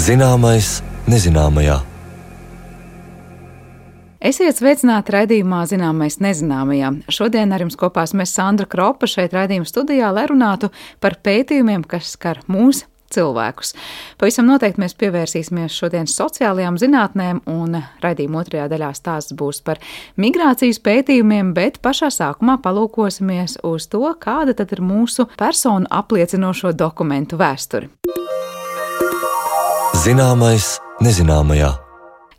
Zināmais nezināmajā. Esiet sveicināti raidījumā Zināmais nezināmajā. Šodien ar jums kopā mēs Sandra Kropa šeit raidījuma studijā, lai runātu par pētījumiem, kas skar mūs cilvēkus. Pavisam noteikti mēs pievērsīsimies šodien sociālajām zinātnēm, un raidījuma otrajā daļā stāsts būs par migrācijas pētījumiem, bet pašā sākumā palūkosimies uz to, kāda tad ir mūsu personu apliecinošo dokumentu vēsture. Zināmais nezināmajā.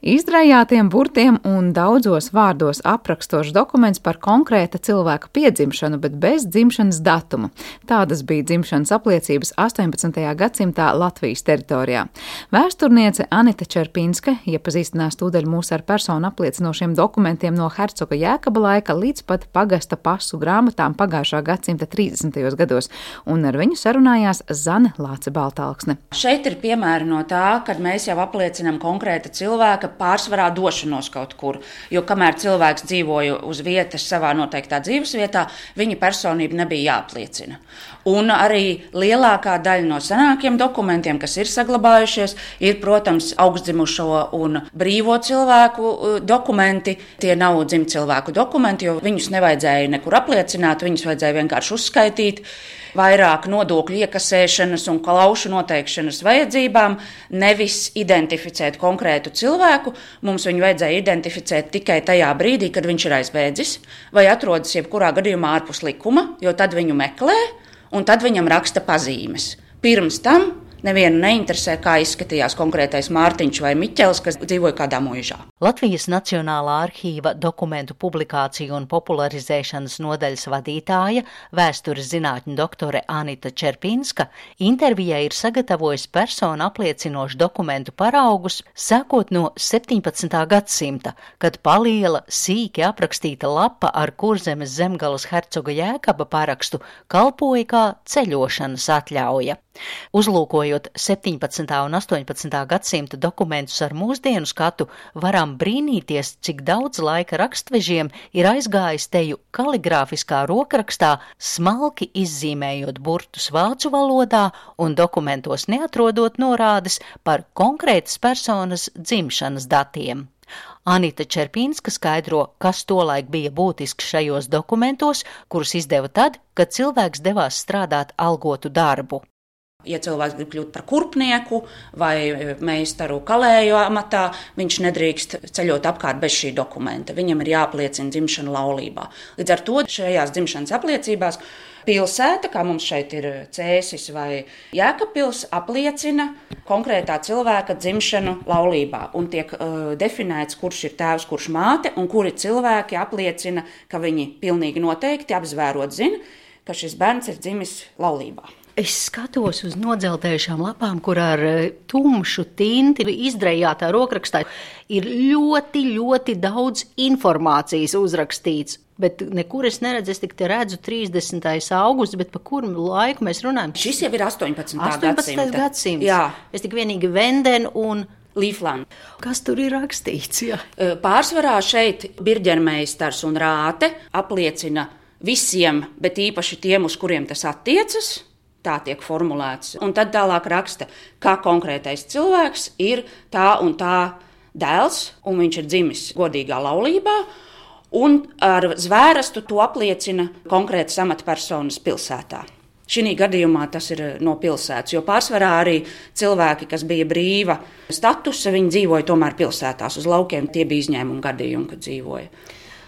Izdrējātiem burtiem un daudzos vārdos aprakstošs dokuments par konkrēta cilvēka piedzimšanu, bet bez dzimšanas datuma. Tādas bija dzimšanas apliecības 18. gadsimtā Latvijas teritorijā. Vēsturniece Anita Čerpinska iepazīstinās tūdaļ mūs ar personu apliecinošiem dokumentiem no hercoga Jēkaba laika līdz pat pagasta pasu grāmatām pagājušā gadsimta 30. gados, un ar viņu sarunājās Zane Lāce-Baltalksne. Šeit ir piemēri no tā, kad mēs jau apliecinām konkrēta cilvēka pārsvarā došanos kaut kur, jo kamēr cilvēks dzīvoja uz vietas savā noteiktā dzīvesvietā, viņa personība nebija jāapliecina. Un arī lielākā daļa no senākiem dokumentiem, kas ir saglabājušies, ir, protams, augstdzimušo un brīvo cilvēku dokumenti. Tie nav dzimtcilvēku dokumenti, jo viņus nevajadzēja nekur apliecināt, viņus vajadzēja vienkārši uzskaitīt. Vairāk nodokļu iekasēšanas un klaušu noteikšanas vajadzībām, nevis identificēt konkrētu cilvēku. Mums viņu vajadzēja identificēt tikai tajā brīdī, kad viņš ir aizbēdzis vai atrodas jebkurā gadījumā ārpus likuma, jo tad viņu meklē un tad viņam raksta pazīmes. Pirms tam nevienu neinteresē, kā izskatījās konkrētais Mārtiņš vai Miķels, kas dzīvoja kādā mūžā. Latvijas Nacionālā arhīva dokumentu publikāciju un popularizēšanas nodaļas vadītāja, vēstures zinātņu doktore Anita Čerpinska, intervijai ir sagatavojusi personu apliecinošu dokumentu paraugus, sākot no 17. gadsimta, kad paliela, sīki aprakstīta lapa ar Kurzemes zemgalas hercoga Jēkaba parakstu kalpoja kā ceļošanas atļauja. Uzlūkojot 17. un 18. gadsimta dokumentus ar mūsdienu skatu, varam brīnīties, cik daudz laika rakstvežiem ir aizgājis teju kaligrāfiskā rokrakstā, smalki izzīmējot burtus vācu valodā un dokumentos neatrodot norādes par konkrētas personas dzimšanas datiem. Anita Čerpinska skaidro, kas tolaik bija būtisks šajos dokumentos, kurus izdeva tad, kad cilvēks devās strādāt algotu darbu. Ja cilvēks grib kļūt par kurpnieku vai meistaru kalēju amatā, viņš nedrīkst ceļot apkārt bez šī dokumenta. Viņam ir jāapliecina dzimšana laulībā. Līdz ar to šajās dzimšanas apliecībās pilsēta, kā mums šeit ir Cēsis vai Jēkabpils, apliecina konkrētā cilvēka dzimšanu laulībā. Un tiek definēts, kurš ir tēvs, kurš māte, un kuri cilvēki apliecina, ka viņi pilnīgi noteikti apzvērot zina, ka šis bērns ir dzimis laulībā. Es skatos uz nodzeltējušām lapām, kur ar tumšu tinti izdrējātā rokrakstā ir ļoti, ļoti daudz informācijas uzrakstīts. Bet nekur es neredzu, es tik te redzu 30. augusts, bet pa kuru laiku mēs runājam? Šis jau ir 18. 18. gadsimts. Jā. Es tik vienīgi Venden un Līfland. Kas tur ir rakstīts? Jā. Pārsvarā šeit birģermeistars un rāte apliecina visiem, bet īpaši tiem, uz kuriem tas attiecas. Tā tiek formulēts. Un tad tālāk raksta, ka konkrētais cilvēks ir tā un tā dēls, un viņš ir dzimis godīgā laulībā, un ar zvērestu to apliecina konkrētas amatpersonas pilsētā. Šī gadījumā tas ir no pilsētas, jo pārsvarā arī cilvēki, kas bija brīva statusa, viņi dzīvoja tomēr pilsētās uz laukiem. Tie bija izņēmumi gadījumi, kad dzīvoja.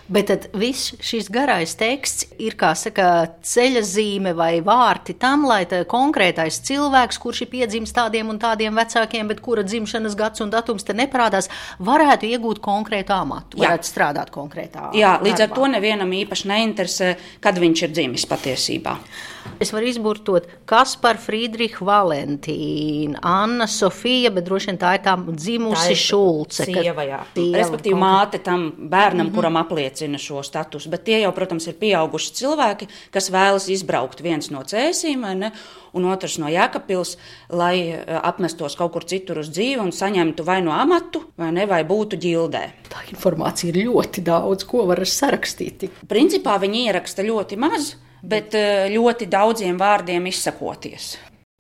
Bet tad viss šis garais teksts ir, kā saka, ceļa zīme vai vārti tam, lai konkrētais cilvēks, kurš ir piedzimis tādiem un tādiem vecākiem, bet kura dzimšanas gads un datums te neparādās, varētu iegūt konkrētu amatu, varētu strādāt konkrētā darbā. Jā, līdz ar to nevienam īpaši neinteresē, kad viņš ir dzimis patiesībā. Es varu izburtot Kaspar Friedricha Valentīna, Anna Sofija, bet droši vien tā ir tā dzimusi Šulce. Sieva, jā. Respektīvi māte tam bērnam, kuram apliecina šo statusu. Bet tie jau, protams, ir pieauguši cilvēki, kas vēlas izbraukt viens no Cēsīm, vai ne, un otrs no Jēkabpils, lai apmestos kaut kur citur uz dzīvi un saņemtu vai no amatu, vai ne, vai būtu ģildē. Tā informācija ir ļoti daudz, ko var sarakstīt. Principā viņi ieraksta ļoti maz, bet ļoti daudziem vārdiem izsakoties.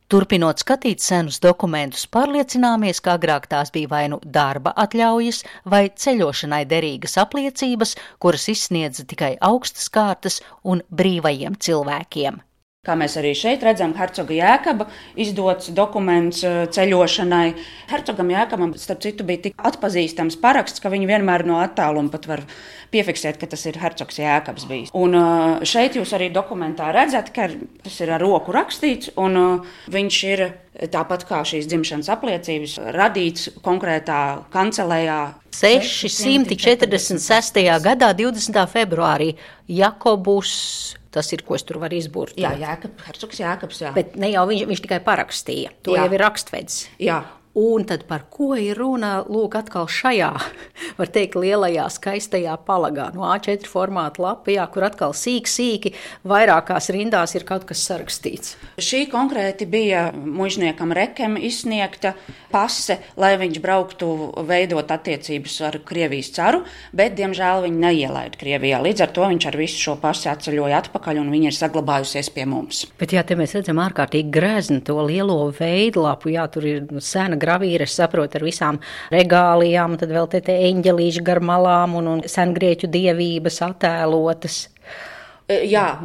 Turpinot skatīt senus dokumentus, pārliecināmies, ka agrāk tās bija vai nu darba atļaujas vai ceļošanai derīgas apliecības, kuras izsniedza tikai augstas kārtas un brīvajiem cilvēkiem. Kā mēs arī šeit redzam, hercoga Jēkaba izdots dokuments ceļošanai. Hercogam Jēkabam, starp citu, bija tik atpazīstams paraksts, ka viņi vienmēr no attāluma pat var piefiksēt, ka tas ir hercogs Jēkabs bijis. Un šeit jūs arī dokumentā redzat, ka tas ir ar roku rakstīts, un viņš ir tāpat kā šīs dzimšanas apliecības radīts konkrētā kancelējā. 646. gadā 20. februārī Jakobus. Tas ir, ko es tur varu izburt. Jā, hercogs Jēkabs, jā. Bet ne jau viņš tikai parakstīja. To jau ir rakstvedis. Jā. Un tad par ko ir runa, lūk, atkal šajā, var teikt, lielajā, skaistajā palagā, no A4 formāta lapā, kur atkal sīki, vairākās rindās ir kaut kas sarakstīts. Šī konkrēti bija muižniekam Rekem izsniegta pase, lai viņš brauktu veidot attiecības ar Krievijas caru, bet, diemžēl, viņi neielaida Krievijā. Līdz ar to viņš ar visu šo pasi atceļoja atpakaļ, un viņa ir saglabājusies pie mums. Bet jā, te mēs redzam ārkārtīgi grezni to lielo veidlapu, jā, tur ir sena gravīra, es saprotu, ar visām regālijām, tad vēl te eņģelīši gar malām un sengrieķu dievības attēlotas. Jā,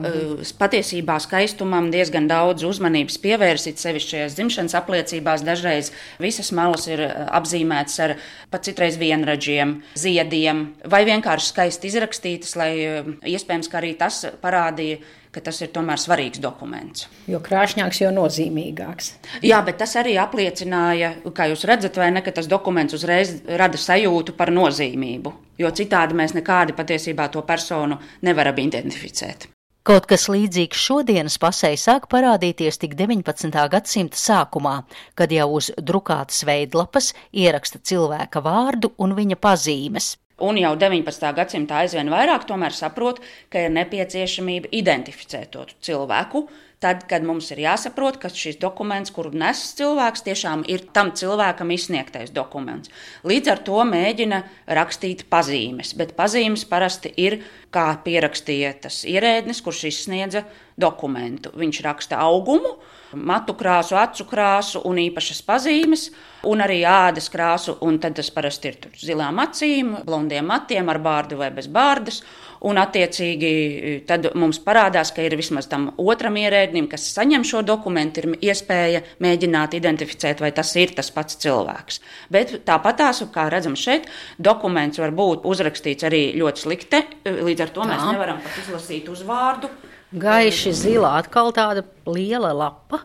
patiesībā skaistumam diezgan daudz uzmanības pievērsit, sevišķi šajās dzimšanas apliecībās. Dažreiz visas malas ir apzīmētas ar pat citreiz vienradžiem, ziediem vai vienkārši skaisti izrakstītas, lai iespējams, ka arī tas parādīja, ka tas ir tomēr svarīgs dokuments. Jo krāšņāks, jo nozīmīgāks. Jā, bet tas arī apliecināja, kā jūs redzat, vai ne, ka tas dokuments uzreiz rada sajūtu par nozīmību, jo citādi mēs nekādi patiesībā to personu nevaram identificēt. Kaut kas līdzīgs šodienas pasei sāk parādīties tik 19. gadsimta sākumā, kad jau uz drukātas veidlapas ieraksta cilvēka vārdu un viņa pazīmes. Un jau 19. gadsimtā aizvien vairāk tomēr saprot, ka ir nepieciešamība identificēt to cilvēku, tad, kad mums ir jāsaprot, ka šis dokuments, kuru nes cilvēks, tiešām ir tam cilvēkam izsniegtais dokuments. Līdz ar to mēģina rakstīt pazīmes, bet pazīmes parasti ir, kā pierakstīja tas ierēdnis, kurš izsniedza dokumentu. Viņš raksta augumu, matu krāsu, acu krāsu un īpašas pazīmes, un arī ādas krāsu, un tad tas parasti ir tur zilām acīm, blondiem matiem ar bārdu vai bez bārdas, un attiecīgi tad mums parādās, ka ir vismaz tam otram ierēdnim, kas saņem šo dokumentu, ir iespēja mēģināt identificēt, vai tas ir tas pats cilvēks. Bet tāpatās, kā redzam šeit, dokuments var būt uzrakstīts arī ļoti slikti, līdz ar to mēs nevaram pat izlasīt uzvārdu. Gaiši zilā, atkal tāda liela lapa,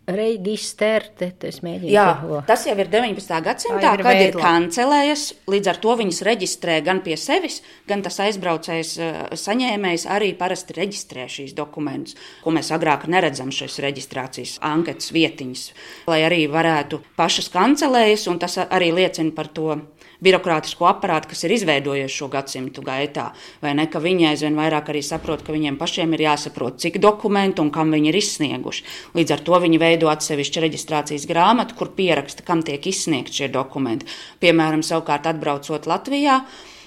reģisterte, es mēģinu. Jā, tas jau ir 19. gadsimtā, kad ir kancelējas, līdz ar to viņas reģistrē gan pie sevis, gan tas aizbraucējs saņēmējs arī parasti reģistrē šīs dokumentus, ko mēs agrāk neredzam šīs reģistrācijas anketas vietiņas, lai arī varētu pašas kancelējas, un tas arī liecina par to birokrātisko aparātu, kas ir izveidojies šo gadsimtu gaitā, vai ne, ka viņi aizvien vairāk arī saprot, ka viņiem pašiem ir jāsaprot, cik dokumentu un kam viņi ir izsnieguši. Līdz ar to viņi veido atsevišķu reģistrācijas grāmatu, kur pieraksta, kam tiek izsniegt šie dokumenti. Piemēram, savukārt atbraucot Latvijā,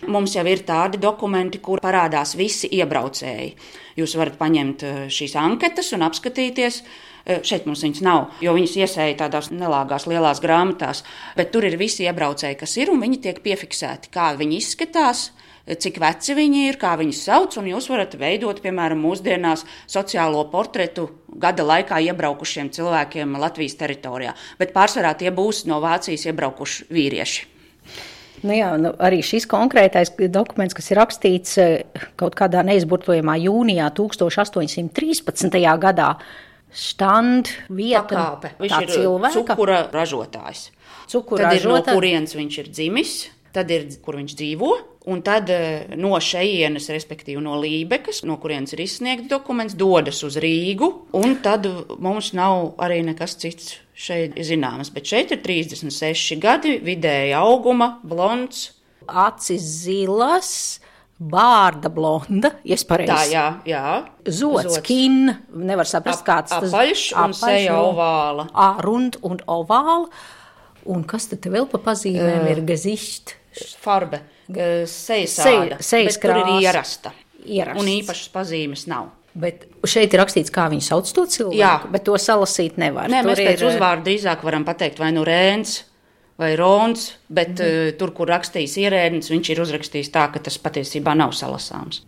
mums jau ir tādi dokumenti, kur parādās visi iebraucēji. Jūs varat paņemt šīs anketas un apskatīties. Šeit mums viņas nav, jo viņas iesēja tādās nelāgās lielās grāmatās, bet tur ir visi iebraucēji, kas ir, un viņi tiek piefiksēti, kā viņi izskatās, cik veci viņi ir, kā viņus sauc, un jūs varat veidot, piemēram, mūsdienās sociālo portretu gada laikā iebraukušiem cilvēkiem Latvijas teritorijā, bet pārsvarā tie būs no Vācijas iebraukuši vīrieši. Arī šis konkrētais dokuments, kas ir rakstīts kaut kādā neizburtojamā jūnijā 1813. gadā, štand, vieta, pakāpe. Viņš ir cilvēka. Cukura ražotājs. Tad ir no kurienes viņš ir dzimis, tad ir, kur viņš dzīvo, un tad no šejienes, respektīvi no Lībekas, no kurienes ir izsniegts dokuments, dodas uz Rīgu, un tad mums nav arī nekas cits šeit zināms. Bet šeit ir 36 gadi, vidēja auguma, blonds. Acis zilas, bārda blonda, pareizi. Tā, jā. Zots, kin, nevar saprast, kāds tas apaļš un seja ovāla. Rund un ovāla. Un kas tad vēl pa pazīmēm ir gezišt? Farbe, sejas āda, bet tur ir ierasta. Un īpašas pazīmes nav. Bet šeit ir rakstīts, kā viņi sauc to cilvēku, Jā. Bet to salasīt nevar. Nē, Tur mēs pēc ir, uzvārdu drīzāk varam pateikt vai nu Rēns vai Rons, bet tur, kur rakstījis ierēdnis, viņš ir uzrakstījis tā, ka tas patiesībā nav salasāms.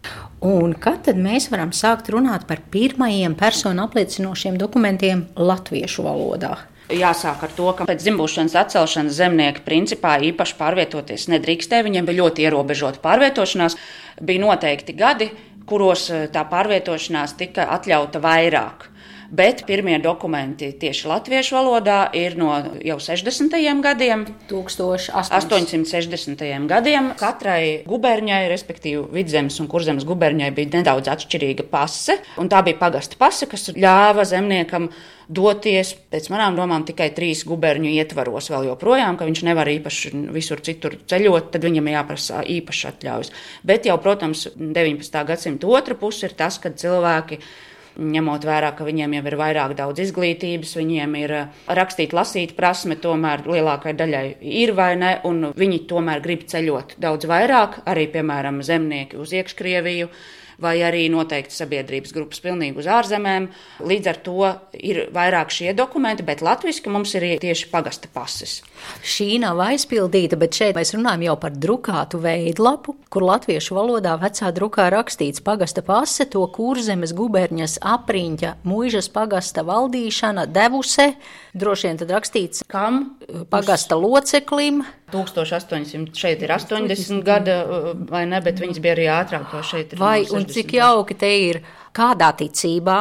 Un kad tad mēs varam sākt runāt par pirmajiem personu apliecinošiem dokumentiem latviešu valodā? Jāsāk ar to, ka pēc dzimbūšanas atcelšanas zemnieki principā īpaši pārvietoties nedrīkstēja. Viņiem bija ļoti ierobežota pārvietošanās. Bija noteikti gadi, kuros tā pārvietošanās tika atļauta vairāk. Bet pirmie dokumenti tieši latviešu valodā ir no jau 60. gadiem, 1860. gadiem. Katrai guberņai, respektīvi Vidzemes un Kurzemes guberņai, bija nedaudz atšķirīga pase. Un tā bija pagasta pase, kas ļāva zemniekam doties, pēc manām domām, tikai 3 guberņu ietvaros vēl joprojām, ka viņš nevar īpaši visur citur ceļot, tad viņam jāprasa īpaši atļaujas. Bet jau, protams, 19. gadsimta otra puse ir tas, kad cilvēki, ņemot vērā, ka viņiem jau ir vairāk daudz izglītības, viņiem ir rakstīt, lasīt prasme, tomēr lielākai daļai ir vai ne, un viņi tomēr grib ceļot daudz vairāk, arī, piemēram, zemnieki uz Iekškrieviju, vai arī noteikti sabiedrības grupas pilnīgi uz ārzemēm. Līdz ar to ir vairāk šie dokumenti, bet latviski mums ir tieši pagasta pases. Šī nav aizpildīta, bet šeit mēs runājam jau par drukātu veidlapu, kur latviešu valodā vecā drukā rakstīts pagasta pase, to Kurzemes guberņas apriņķa muižas pagasta valdīšana devuse, droši vien tad rakstīts Kam? Pagasta loceklim. 1800, šeit ir 80 gada, vai ne, bet viņas bija arī ātrāk, jo šeit ir Vai, un cik jauki te ir, kādā ticībā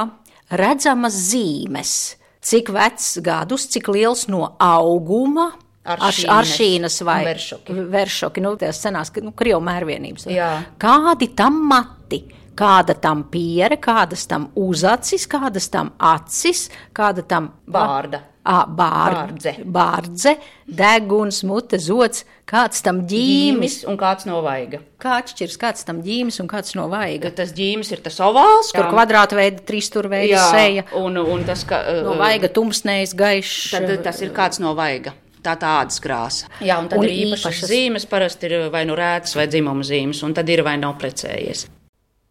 redzamas zīmes, cik vecs gadus, cik liels no auguma, aršīnas vai veršoki, tās senās, Krievu mērvienības. Jā. Kādi tam mati, kāda tam piere, kādas tam uzacis, kādas tam acis, kāda tam Bārda. Bārdze, deguns, mute, zods, kāds tam ģīmis un kāds no vaiga. Kā atšķirs, kāds tam ģīmis un kāds no vaiga? Tas ģīmis ir tas ovāls, kur kvadrāta veida, tristurveida seja. Un tas, ka no vaiga tumsnējs, gaišs. Tad tas ir kāds no vaiga. Tā ādas krāsa. Jā, un tad ir īpašas zīmes, parasti ir vai nu rētas vai dzimuma zīmes, un tad ir vai nav precējies.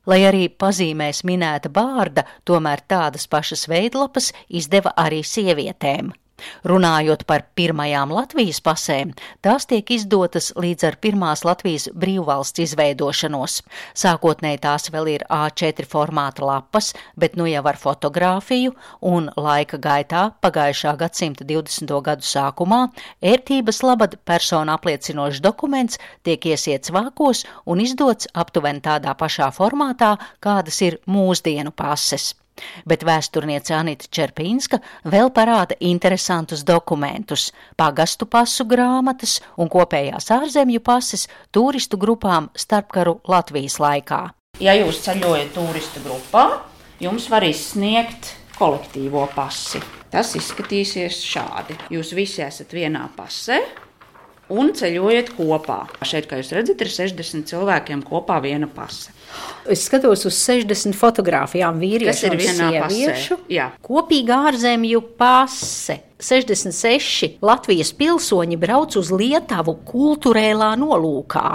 Lai arī pazīmēs minēta Bārda, tomēr tādas pašas veidlapas izdeva arī sievietēm. Runājot par pirmajām Latvijas pasēm, tās tiek izdotas līdz ar pirmās Latvijas brīvvalsts izveidošanos. Sākotnēji tās vēl ir A4 formāta lapas, bet nu jau ar fotogrāfiju, un laika gaitā pagājušā gadsimta 20. gadu sākumā ērtības labad persona apliecinošs dokuments tiek iesiets vākos un izdots aptuveni tādā pašā formātā, kādas ir mūsdienu pases. Bet vēsturniece Anita Čerpinska vēl parāda interesantus dokumentus, pagastu pasu grāmatas un kopējās ārzemju pases turistu grupām starpkaru Latvijas laikā. Ja jūs ceļojat turistu grupā, jums var izsniegt kolektīvo pasi. Tas izskatīsies šādi. Jūs visi esat vienā pasē un ceļojat kopā. Šeit, kā jūs redzat, ir 60 cilvēkiem kopā viena pase. Es skatos uz 60 fotogrāfijām vīriešu un sieviešu. Kopīga ārzemju pase. 66 Latvijas pilsoņi brauc uz Lietuvu kulturēlā nolūkā.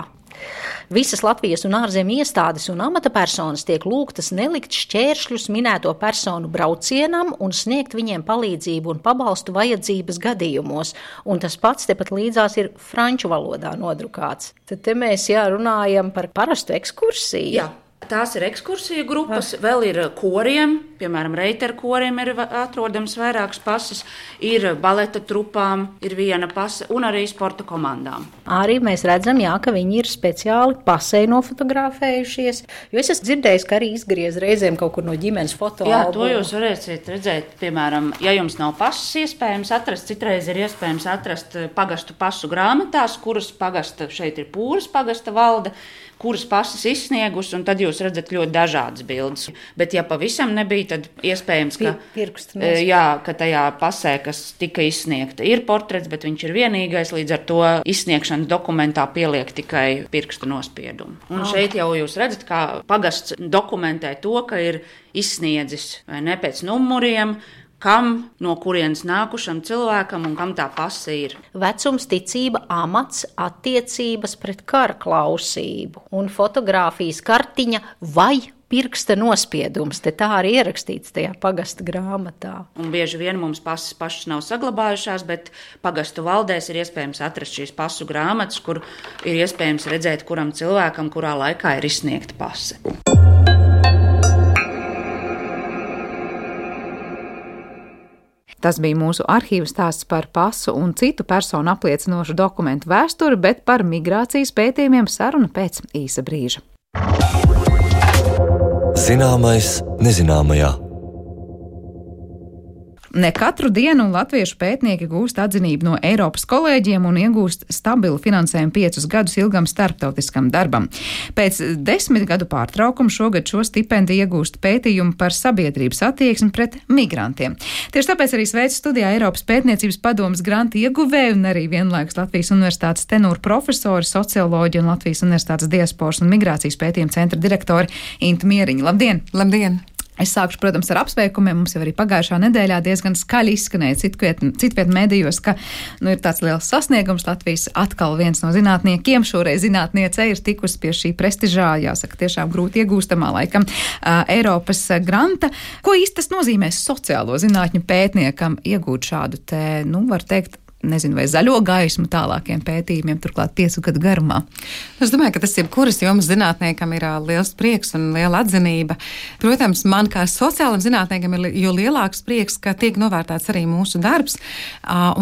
Visas Latvijas un ārzemju iestādes un amatapersonas tiek lūgtas nelikt šķēršļus minēto personu braucienam un sniegt viņiem palīdzību un pabalstu vajadzības gadījumos. Un tas pats tepat līdzās ir franču valodā nodrukāts. Tad te mēs runājam par parastu ekskursiju. Jā. Tās ir ekskursiju grupas, vēl ir koriem, piemēram, reiteru koriem ir atrodams vairākas pases, ir baleta trupām, ir viena pase un arī sporta komandām. Arī mēs redzam, ka viņi ir speciāli pasē nofotografējušies, jo es esmu dzirdējis, ka arī izgriez reizēm kaut kur no ģimenes fotoalbuma. Jā, to jūs varēsiet redzēt, piemēram, ja jums nav pases iespējams atrast, citreiz ir iespējams atrast pagastu pasu grāmatās, kuras pagasta, šeit ir Pūras pagasta valde, kuras pases izsniegus, un tad jūs redzat ļoti dažādas bildes. Bet, ja pavisam nebija, tad iespējams, ka tajā pasē, kas tika izsniegta, ir portrets, bet viņš ir vienīgais, līdz ar to izsniegšanas dokumentā pieliek tikai pirksta nospiedumu. Un šeit jau jūs redzat, kā pagasts dokumentē to, ka ir izsniedzis vai ne pēc numuriem, kam, no kurienes nākušam cilvēkam un kam tā pase ir. Vecums, ticība, amats, attiecības pret kara klausību un fotogrāfijas kartiņa vai pirksta nospiedums, te tā arī ierakstīts tajā pagasta grāmatā. Un bieži vien mums pasas pašas nav saglabājušās, bet pagastu valdēs ir iespējams atrast šīs pasu grāmatas, kur ir iespējams redzēt, kuram cilvēkam, kurā laikā ir izsniegta pase. Tas bija mūsu arhīva stāsts par pasu un citu personu apliecinošu dokumentu vēsturi, bet par migrācijas pētījumiem saruna pēc īsa brīža. Zināmais nezināmajā. Ne katru dienu latviešu pētnieki gūst atzinību no Eiropas kolēģiem un iegūst stabilu finansējumu 5 gadus ilgam starptautiskam darbam. Pēc 10 gadu pārtraukuma šogad šo stipendiju iegūst pētījumu par sabiedrības attieksmi pret migrantiem. Tieši tāpēc arī sveicu studijā Eiropas pētniecības padomes granta ieguvēju un arī vienlaikus Latvijas Universitātes tenūru profesori, socioloģi un Latvijas Universitātes diasporas un migrācijas pētījuma centra direktori Intu Mieriņu. Labdien! Labdien! Es sākšu, protams, ar apsveikumiem. Mums jau arī pagājušā nedēļā diezgan skaļi izskanēja citviet medijos, ka ir tāds liels sasniegums. Latvijas atkal viens no zinātniekiem, šoreiz zinātniece, ir tikusi pie šī prestižā, jāsaka, tiešām grūti iegūstamā laikam Eiropas granta. Ko īsti tas nozīmē sociālo zinātņu pētniekam iegūt šādu te, var teikt, nezinu, vai zaļo gaismu tālākiem pētījumiem, turklāt 5 gadu garumā? Es domāju, ka tas jebkuras jomas zinātniekam ir liels prieks un liela atzinība. Protams, man kā sociālam zinātniekam ir jo lielāks prieks, ka tiek novērtēts arī mūsu darbs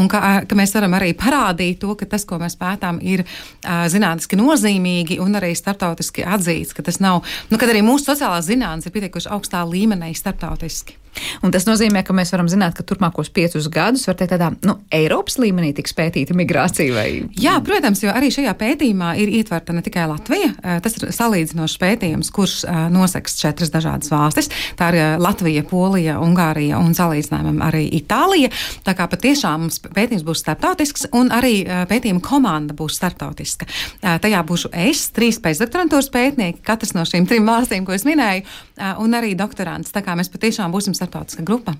un ka mēs varam arī parādīt to, ka tas, ko mēs pētām, ir zinātniski nozīmīgi un arī starptautiski atzīts, ka tas nav, kad arī mūsu sociālās zinātnes ir pietiekuši augstā līmenī starptautiski. Un tas nozīmē, ka mēs varam zināt, ka turpmākos 5 gadus var teikt tādā, Eiropas līmenī tiks pētīta migrācija vai? Jā, protams, jo arī šajā pētījumā ir ietverta ne tikai Latvija, tas ir salīdzinošs pētījums, kurš noseks 4 dažādas valstis. Tā ir Latvija, Polija, Ungārija un salīdzinājumam arī Itālija. Tā kā patiešām mums pētījums būs starptautisks un arī pētījuma komanda būs starptautiska. Tajā būšu es, 3 pēcdoktorantūras pētnieki, katrs no šīm 3 valstīm, ko es minēju, un arī doktorants. Tā kā mēs patiešām būsim starptautiska grupa.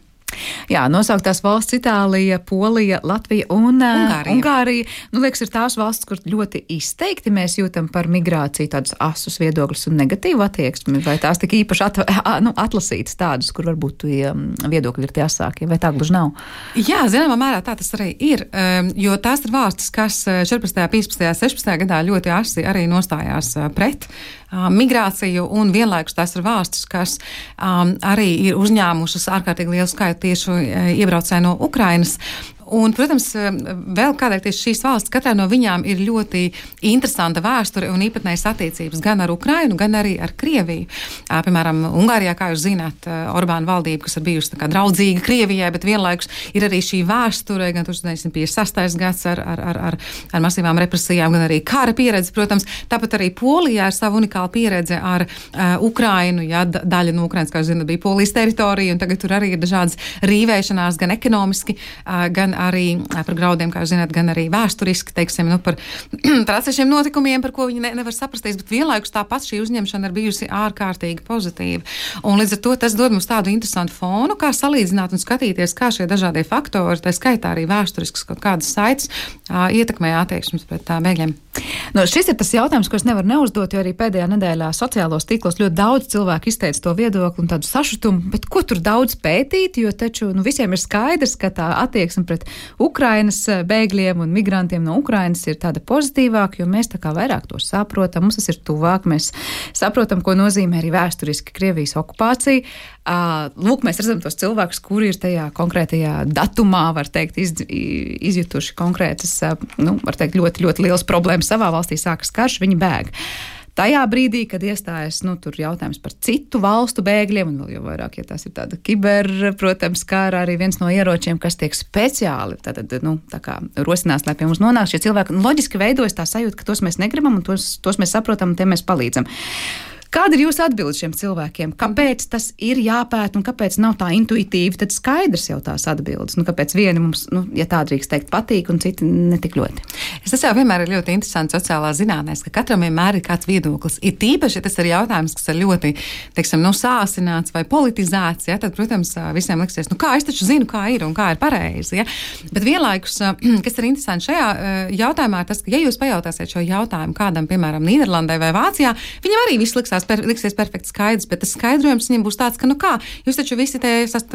Jā, nosauktās valsts Itālija, Polija, Latvija un Ungārija. Liekas, ir tās valsts, kur ļoti izteikti mēs jūtam par migrāciju tādus asus viedokļus un negatīvu attieksmi, vai tās tik īpaši atlasītas tādas, kur varbūt viedokļi ir tie asākie, vai tā gluži nav? Jā, zināmā mērā tā tas arī ir, jo tās ir valstis, kas 14., 15., 16. gadā ļoti asi arī nostājās pret migrāciju, un vienlaikus tās ir valstis, kas arī ir uzņēmušas ārkārtīgi lielu skaitu tieši iebraucēju no Ukrainas. Un, protams, vēl kādēļ tieši šīs valsts, katrā no viņām ir ļoti interesanta vēsture un īpatnējas attiecības gan ar Ukrainu, gan arī ar Krieviju. Piemēram, Ungārijā, kā jūs zināt, Orbāna valdība, kas ir bijusi tā kā draudzīga Krievijai, bet vienlaikus ir arī šī vēsture, gan 1956. gads ar masīvām represijām, gan arī kara pieredze, protams. Tāpat arī Polijā ir savu unikālu pieredze ar Ukrainu, ja daļa no Ukrainas, kā jūs zināt, bija Polijas teritorija, un tagad tur arī ir dažādas rīvēšanās, gan ekonomiski, gan arī par graudiem, kā jūs zināt, gan arī vēsturiski, teiksim, par atsevišķiem notikumiem, par ko viņi nevar saprasties, bet vienlaikus tāpat šī uzņemšana ir bijusi ārkārtīgi pozitīva. Un līdz ar to tas dod mums tādu interesantu fonu, kā salīdzināt un skatīties, kā šie dažādie faktori, tā skaitā arī vēsturisks kaut kādas saites, ietekmē attieksmes pret bēgļiem. Šis ir tas jautājums, ko es nevaru neuzdot, jo arī pēdējā nedēļā sociālos tīklos ļoti daudz cilvēku izteica to viedokli un tādu sašutumu, bet ko tur daudz pētīt, jo taču visiem ir skaidrs, ka tā attieksme pret Ukrainas bēgļiem un migrantiem no Ukrainas ir tāda pozitīvāka, jo mēs tā kā vairāk to saprotam, mums tas ir tuvāk, mēs saprotam, ko nozīmē arī vēsturiski Krievijas okupācija. Lūk, mēs redzam tos cilvēkus, kuri ir tajā konkrētajā datumā, var teikt, izjutuši konkrētas, var teikt, ļoti, ļoti liels problēmas savā valstī, sākas karš, viņi bēg. Tajā brīdī, kad iestājas, tur jautājums par citu valstu bēgļiem, un vēl jau vairāk, ja tās ir tāda protams, kā arī viens no ieročiem, kas tiek speciāli, tā kā rosinās, lai pie mums nonāk šie cilvēki, loģiski veidojas tā sajūta, ka tos mēs negribam, un tos mēs saprotam, un tiem mēs palīdzam. Kāda ir jūsu atbilde šiem cilvēkiem? Kāpēc tas ir jāpēt un kāpēc nav tā intuitīvi? Tad skaidrs jau tās atbildes. Kāpēc vieni mums, ja tā drīkst teikt, patīk un citi netik ļoti? Tas jau vienmēr ir ļoti interesants sociālā zinātnēs, ka katram vienmēr ir kāds viedoklis. Ir tīpaši, ja tas ir jautājums, kas ir ļoti, teiksim, sāsināts vai politizēts, ja, tad, protams, visiem liksies, kā es taču zinu, kā ir un kā ir pareizi. Ja. Bet vienlaikus, kas ir interesanti šajā jautājumā, ir tas, ka, ja jūs pajautāsiet šo jautājumu kādam, piemēram, Nīderlandē vai Vācijā, viņam arī viss liksies perfekti skaidrs, bet tas skaidrojums viņam būs tāds, ka, jūs taču visi te esat,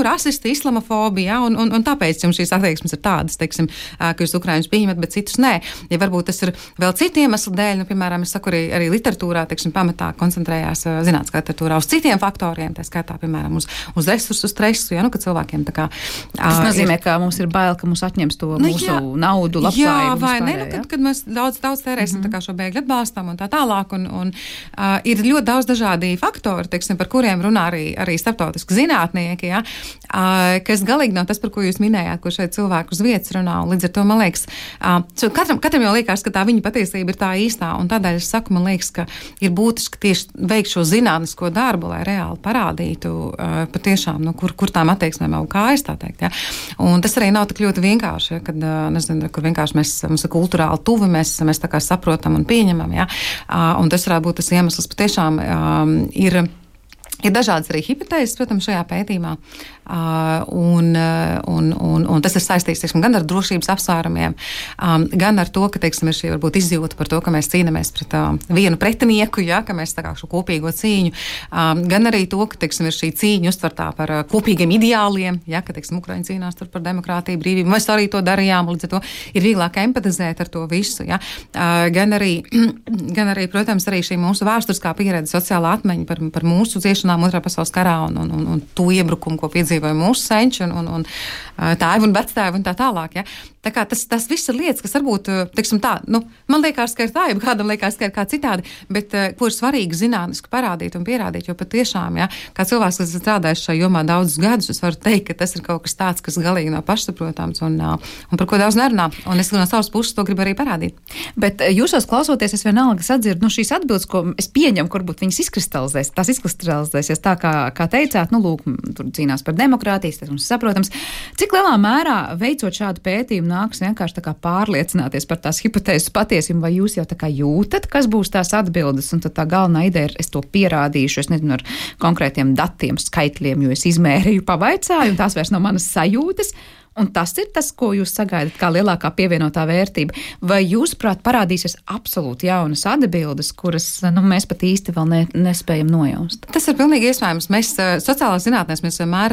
rasisti, islamofobi, ja, un tāpēc jums šīs attieksmes ir tādas, teiksim, ka jūs Ukraiņus pieņemat, bet citus nē. Ja varbūt tas ir vēl citu iemeslu dēļ, piemēram, es saku arī literatūrā, teiksim, pamatā koncentrējās zinātniskā literatūrā uz citiem faktoriem, tā skaitā, piemēram, uz resursu stresu, ja, ka cilvēkiem tā kā... Tas nozīmē, ka mums ir bail, ka mums atņems to mūsu naudu, labklājību. Jā, vai ne, kad mēs daudz tērēsim tā kā šo bēgļu atbalstam un tā tālāk, un ir ļoti daudz dažādi faktori, teiksim, par kuriem runā arī starptautiski zinātnieki, ja, kas galīgi nav tas, par ko jūs minējāt, ko šeit cilvēku uz vietas runā, un līdz ar to, man liekas, katram jau liekas, ka tā viņa patiesība ir tā īstā, un tādēļ es saku, man liekas, ka ir būtiski tieši veikt šo zinātnisko darbu, lai reāli parādītu patiešām, kur tām attieksmēm jau kājas, tā teikt, ja. Un tas arī nav tik ļoti vienkārši, ja, kad, nezinu, kur vienkārši mums ir kulturāli tuvi, mēs tā kā saprotam un pieņemam, ja. Un tas varētu būt tas iemesls patiešām ir dažādas arī hipotēzes, protams, šajā pētījumā, un tas ir saistīts, teiksim, gan ar drošības apsvērumiem, gan ar to, ka, teiksim, ir šī varbūt izjūta par to, ka mēs cīnamies pret vienu pretinieku, ja, ka mēs tā kā šo kopīgo cīņu, gan arī to, ka, teiksim, ir šī cīņa uztvertā par kopīgiem ideāliem, ja, ka, teiksim, Ukraiņi cīnās tur par demokrātiju, brīvību, mēs arī to darījām, līdz ar to ir vieglāk empatizēt ar to visu, ja, gan arī, protams, arī šī mūsu vēsturiskā pieredze, sociālā atmiņa par mūsu ciešanām Otrā pasaules karā un to iebrukumu, ko piedzīvoja mūsu senči un tēvi un vectēvi un tā tālāk. Ja. Tā kā tas viss ir lietas, kas varbūt, teiksim tā, man liekas, ka ir tā, ja kādam liekas, ka ir kā citādi, bet ko ir svarīgi zinātniski parādīt un pierādīt, jo patiešām, ja, kā cilvēks, kas strādājis šajā jomā daudzus gadus, es varu teikt, ka tas ir kaut kas tāds, kas galīgi nav pašsaprotams un par ko daudz nerunā. Un es no savas puses to gribu arī parādīt. Bet jūsos klausoties, es vienalga sadzirdu, šīs atbildes, ko es pieņemu, kur varbūt viņas izkristalizēsies tā, kā teicāt, lūk, tur cīnās par demokrātijas, tas mums saprotams. Cik lielā mērā veicot šādu pētījumu nāks vienkārši tā kā pārliecināties par tās hipotēzes patiesību, vai jūs jau tā kā jūtat, kas būs tās atbildes, un tad tā galvenā ideja ir, es to pierādīšu, es nezinu, ar konkrētiem datiem, skaitļiem, jo es izmērīju, pavaicāju, un tās vairs nav manas sajūtas. Un tas ir tas, ko jūs sagaidat kā lielākā pievienotā vērtība. Vai jūs, prāt, parādīsies absolūti jaunas atbildes, kuras mēs pat īsti vēl nespējam nojaust? Tas ir pilnīgi iespējams. Mēs sociālās zinātnēs mēs vienmēr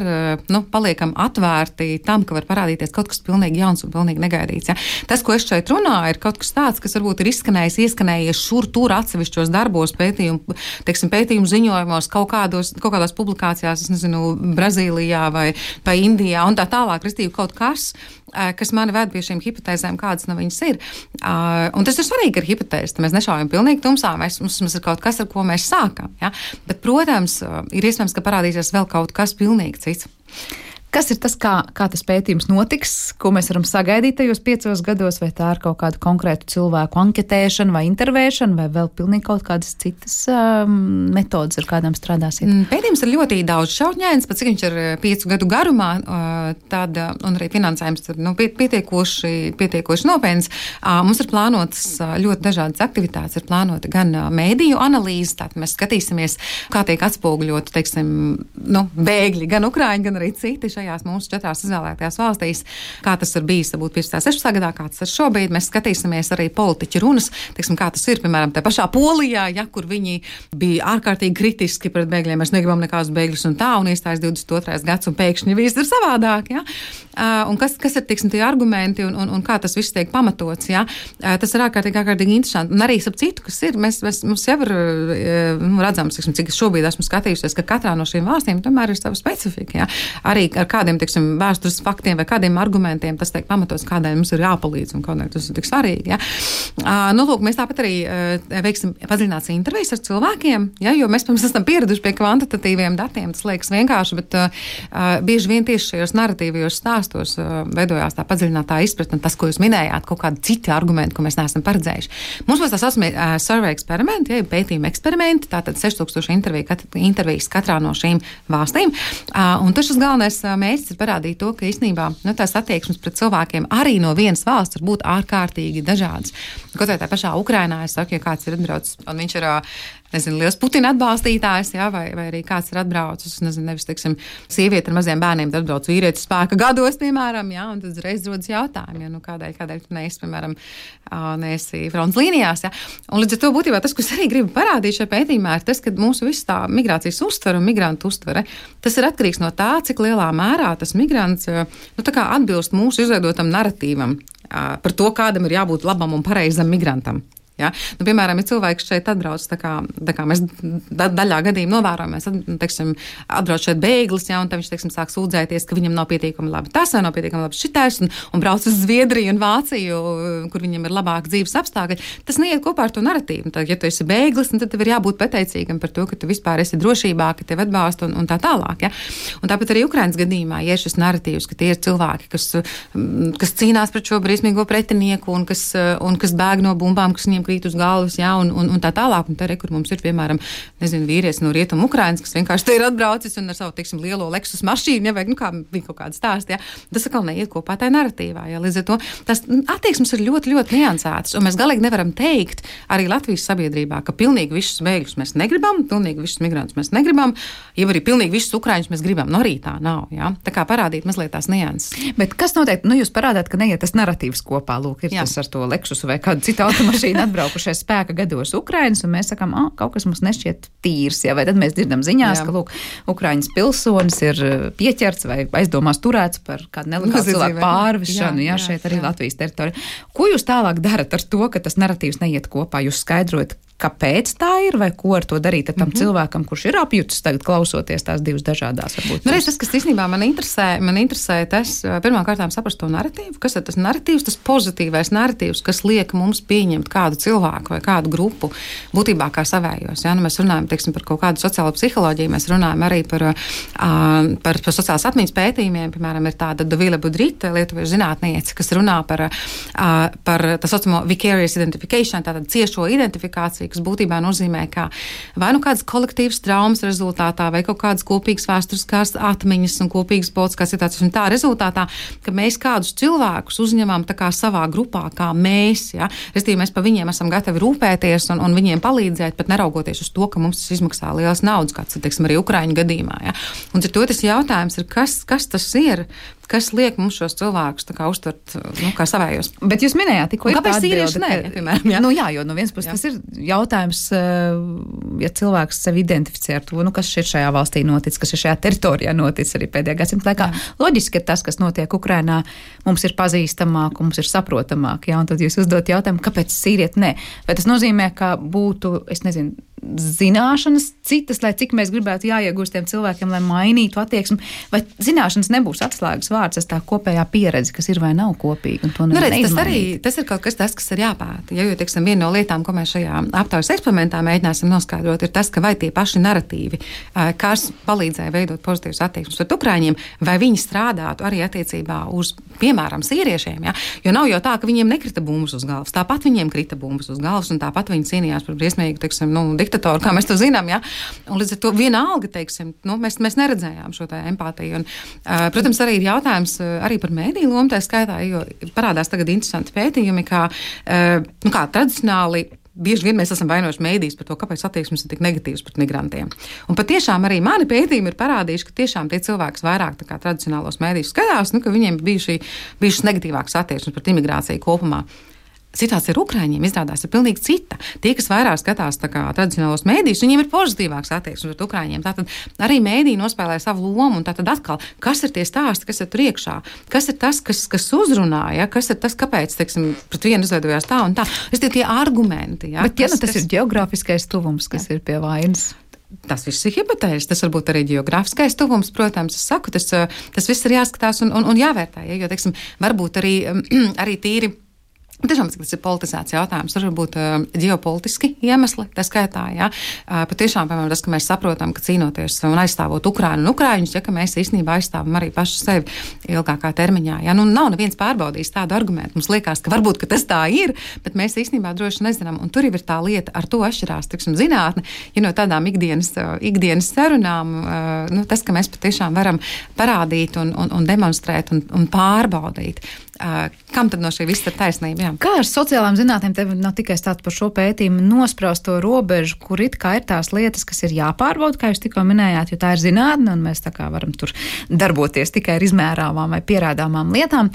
paliekam atvērti tam, ka var parādīties kaut kas pilnīgi jauns un pilnīgi negaidīts. Ja? Tas, ko es šeit runāju, ir kaut kas tāds, kas varbūt ir ieskanējies šur tur atsevišķos darbos, pētījumu ziņojumos, kaut kādās publikācijās, es nezinu, Brazīlijā vai Indijā un tā tālāk, restīvi kaut kas mani ved pie šīm hipotēzēm, kādas no viņas ir. Un tas ir svarīgi ar hipotēzi, mēs nešaujam pilnīgi tumsā, mums ir kaut kas, ar ko mēs sākam. Ja? Bet, protams, ir iespējams, ka parādīsies vēl kaut kas pilnīgi cits. Kas ir tas, kā tas pētījums notiks, ko mēs varam sagaidīt tajos 5 gados, vai tā ir kaut kādu konkrētu cilvēku anketēšana vai intervēšana, vai vēl pilnīgi kaut kādas citas metodas, ar kādām strādāsiet? Pētījums ir ļoti daudz šautņēns, pat cik viņš ir 5 gadu garumā, un arī finansējums ir pietiekoši nopietns. Mums ir plānotas ļoti dažādas aktivitātes, ir plānota gan mēdīju analīze, tātad mēs skatīsimies, kā tiek atspoguļot, teiksim, bēgļi, gan Ukraiņi, gan arī citi šajās mūsu 4 izvēlētajās valstīs, kā tas ir bijis, varbūt 15. 16. gadā, kā tas ir šobrīd. Mēs skatīsimies arī politiķu runas, teiksim, kā tas ir, piemēram, tā pašā Polijā, ja, kur viņi bija ārkārtīgi kritiski pret bēgļiem, mēs negribam nekādus bēgļus un tā, un iestājas 22. gads, un pēkšņi viss ir savādāk, ja. Un kas ir, teiksim, tie argumenti, un kā tas viss tiek pamatots, ja. Tas ir ārkārtīgi interesanti. Un arī ap citu, kas ir, mums jau ir redzams, cik es šobrīd esmu skatījusies, ka katrā no šīm valstīm tomēr ir sava specifika, ja. Arī ar kādiem, teiksim, vēstures faktiem vai kādiem argumentiem tas tiek pamatots, kādēļ mums ir jāpalīdz un kādēļ tas ir tik svarīgi. Ja? Lūk, mēs tāpat arī veiksim padziļināts intervijas ar cilvēkiem, ja? Jo mēs, protams, esam pieraduši pie kvantitatīviem datiem, tas liekas vienkārši, bet bieži vien tieši šajos narratīvajos stāstos veidojās tā padziļinātā izpratne, tas, ko jūs minējāt, kaut kādi citi argumenti, ko mēs neesam paredzējuši. Mums būs tā saucamie survey eksperimenti, ja, pētījuma eksperimenti, tātad 6000 intervijas katrā no šīm valstīm. Un tas galvenais mērķis ir parādīt to, ka īstenībā tās attieksmes pret cilvēkiem arī no vienas valsts var būt ārkārtīgi dažādas. Kaut vai tā pašā Ukrainā, es saku, ja kāds ir atbraucis un viņš ir liels Putina atbalstītājs, vai arī kāds ir atbraucis, nevis, teiksim, sieviete ar maziem bērniem, tad atbrauc vīrietis spēka gados, piemēram, un tad reiz rodas jautājumi, kādēļ tu neesi, piemēram, neesi fronts līnijās, Un līdz ar to būtībā tas, ko es arī gribu parādīt šajā pētījumā, ir tas, ka mūsu viss tā migrācijas uztvere un migrantu uztvere, tas ir atkarīgs no tā, cik lielā mērā tas migrants, tā kā atbilst mūsu izveidotam naratīvam par to, kādam ir jābūt labam un pareizam migrantam. Ja? Piemēram, ja cilvēks šeit atbrauc, tā kā mēs daļā gadījumā novērojam, mēs, atbrauc šeit bēglis, un tad viņš, sāk sūdzēties, ka viņam nav pietiekami labi tas, vai nav pietiekami labi šitais, un brauc uz Zviedriju un Vāciju, kur viņam ir labāk dzīves apstākļi. Tas neiet kopā ar to naratīvu. Tad, ja tu esi bēglis, tad tev ir jābūt pateicīgam par to, ka tu vispār esi drošībā, ka tev atbalsta un tā tālāk. Ja? Un tāpat arī Ukrainas gadījumā, ja ir šis naratīvs, ka tie ir cilvēki, kas cīnās pret šo briesmīgo pretinieku un kas bēg no bumbām, kas viņiem krīt uz galvas, un tā tālāk. Un te, kur mums ir, piemēram, vīrietis no Rietumu Ukrainas, kas vienkārši te ir atbraucis un ar savu, lielo Lexus mašīnu, kā bija kaut kāda stāsta, tas atkal neiet kopā tajā naratīvā. Līdz ar to tas attieksmes ir ļoti, ļoti niansētas, un mēs galīgi nevaram teikt arī Latvijas sabiedrībā, ka pilnīgi visus bēgļus mēs negribam, pilnīgi visus migrantus mēs negribam, ja arī pilnīgi visus ukraiņus mēs gribam. No arī tā nav, Tā kā parādīt mazliet tās nianses. Bet kas notiek? Jūs parādāt, ka neiet tas naratīvs kopā, lūk, ir tas ar to Lexusu vai kādu citu automašīnu atbraukušais spēka gados Ukrainas, un mēs sakām, kaut kas mums nešķiet tīrs, vai tad mēs dzirdam ziņās, ka, lūk, Ukrainas pilsonis ir pieķerts vai aizdomās turēts par kādu nelegālu cilvēku pārvešanu, šeit arī Latvijas teritorijā. Ko jūs tālāk darat ar to, ka tas naratīvs neiet kopā? Jūs skaidrojat, kāpēc tā ir, vai ko ar to darīt ar tam cilvēkam, kurš ir apjutis tagad klausoties tās divas dažādās, varbūt? Tas, kas īstenībā man interesē tas, pirmkārtām saprast to naratīvu, kas ir tas naratīvs, tas pozitīvais naratīvs, kas liek mums pieņemt kādu cilvēku vai kādu grupu būtībā kā savējos. Mēs runājam, par kaut kādu sociālo psiholoģiju, mēs runājam arī par sociālās atmiņas pētījumiem, piemēram, ir tāda Dovile Budrita, lietuviešu zinātniece, kas runā par tā saucamo vicarious identification, tātad ciešo identifikāciju, kas būtībā nozīmē, ka vai kādas kolektīvas traumas rezultātā, vai kaut kādas kopīgas vēsturiskās atmiņas un kopīgas politiskās situācijas, un tā rezultātā, ka mēs kādus cilvēkus uzņemam tā kā savā grupā, kā mēs, Restīvi, mēs pa viņiem esam gatavi rūpēties un viņiem palīdzēt, pat neraugoties uz to, ka mums tas izmaksā lielas naudas, kāds, arī Ukraiņu gadījumā, Un ar to tas jautājums ir, kas tas ir? Kas liek mums šos cilvēkus uztvert kā savējos? Bet jūs minējāt, tikko ir tāda atbilde, piemēram. Jo no vienas puses tas ir jautājums, ja cilvēks sevi identificē ar to, kas šeit šajā valstī notic, kas ir šajā teritorijā notic arī pēdējā gadsimta laikā. Loģiski, ka tas, kas notiek Ukrainā, mums ir pazīstamāk, mums ir saprotamāk, un tad jūs uzdot jautājumu, kāpēc sīrieti nē? Vai tas nozīmē, ka būtu, zināšanas citas, lai cik mēs gribētu jāiegūst tiem cilvēkiem, lai mainītu attieksmi, vai zināšanas nebūs atslēgas vārds, tā kopējā pieredze, kas ir vai nav kopīga, un to tas ir kaut kas tas, kas ir jāpēta. Jo, viena no lietām, ko mēs šajā aptaujas eksperimentā mēģināsim noskaidrot, ir tas, ka vai tie paši naratīvi, kas palīdzēja veidot pozitīvas attieksmes pret ukraiņiem, vai viņi strādātu arī attiecībā uz, piemēram, sīriešiem, Jo nav jau tā, ka viņiem nekrita bumbas uz galvas, tāpat viņiem krita bumbas uz galvas, un tāpat viņi cīnījās par briesmīgu, diktatoru, kā mēs to zinām, Un līdz ar to vienalga, mēs neredzējām šo tā empātiju. Un, protams, arī ir jautājums arī par mēdīju lomu, tā skaitā, jo parādās tagad interesanti pētījumi, kā tradicionāli bieži vien mēs esam vainojuši mēdījus par to, kāpēc attieksmes ir tik negatīvas pret migrantiem. Un patiešām arī mani pētījumi ir parādījuši, ka tiešām tie cilvēki vairāk tradicionālos mēdījus skatās, ka viņiem bijušas negatīvākas attieksmes pret imigrāciju kopumā. Situācija ar Ukraiņiem izrādās ir pilnīgi cita. Tie, kas vairāk skatās tradicionālos mēdījus, viņiem ir pozitīvāks attieksmes pret Ukraiņiem. Tātad arī mēdīji nospēlē savu lomu, un tātad atkal, kas ir tie stāsti, kas ir tur iekšā, kas ir tas, kas uzrunāja, kas ir tas, kāpēc, pret vienu izveidojās tā un tā. Tie argumenti. Bet tas ir geogrāfiskais tuvums, kas ir pie vainas. Tas viss ir hipotēzis, tas varbūt arī geogrāfiskais tuvums, protams, es saku, tas viss ir jāskatās un jāvērtē, jo, varbūt arī tīri Tiešām tas ir politizēts jautājums, var būt ģeopolitiski iemesli, tā skaitā, jā. Patiešām, piemēram, tas, ka mēs saprotam, ka cīnoties un aizstāvot Ukrainu un Ukraiņus, ja, ka mēs īstenībā aizstāvam arī pašu sevi ilgākā termiņā, jā. Nu, nav neviens pārbaudījis tādu argumentu. Mums liekas, ka varbūt, ka tas tā ir, bet mēs īstenībā droši nezinām. Un tur jau ir tā lieta, ar to atšķirās, tiksim, zinātne, ja no tādām ikdienas sarunām, nu, tas, ka mēs patiešām varam parādīt un demonstrēt un pārbaudīt. Kam tad no šī viss ir taisnība? Jā. Kā ar sociālām zinātnēm, tev nav tikai stāsts par šo pētījumu, nospraust to robežu, kur it kā ir tās lietas, kas ir jāpārbauda, kā jūs tikko minējāt, jo tā ir zinātne, un mēs tā kā varam tur darboties tikai ar izmērāmām vai pierādāmām lietām,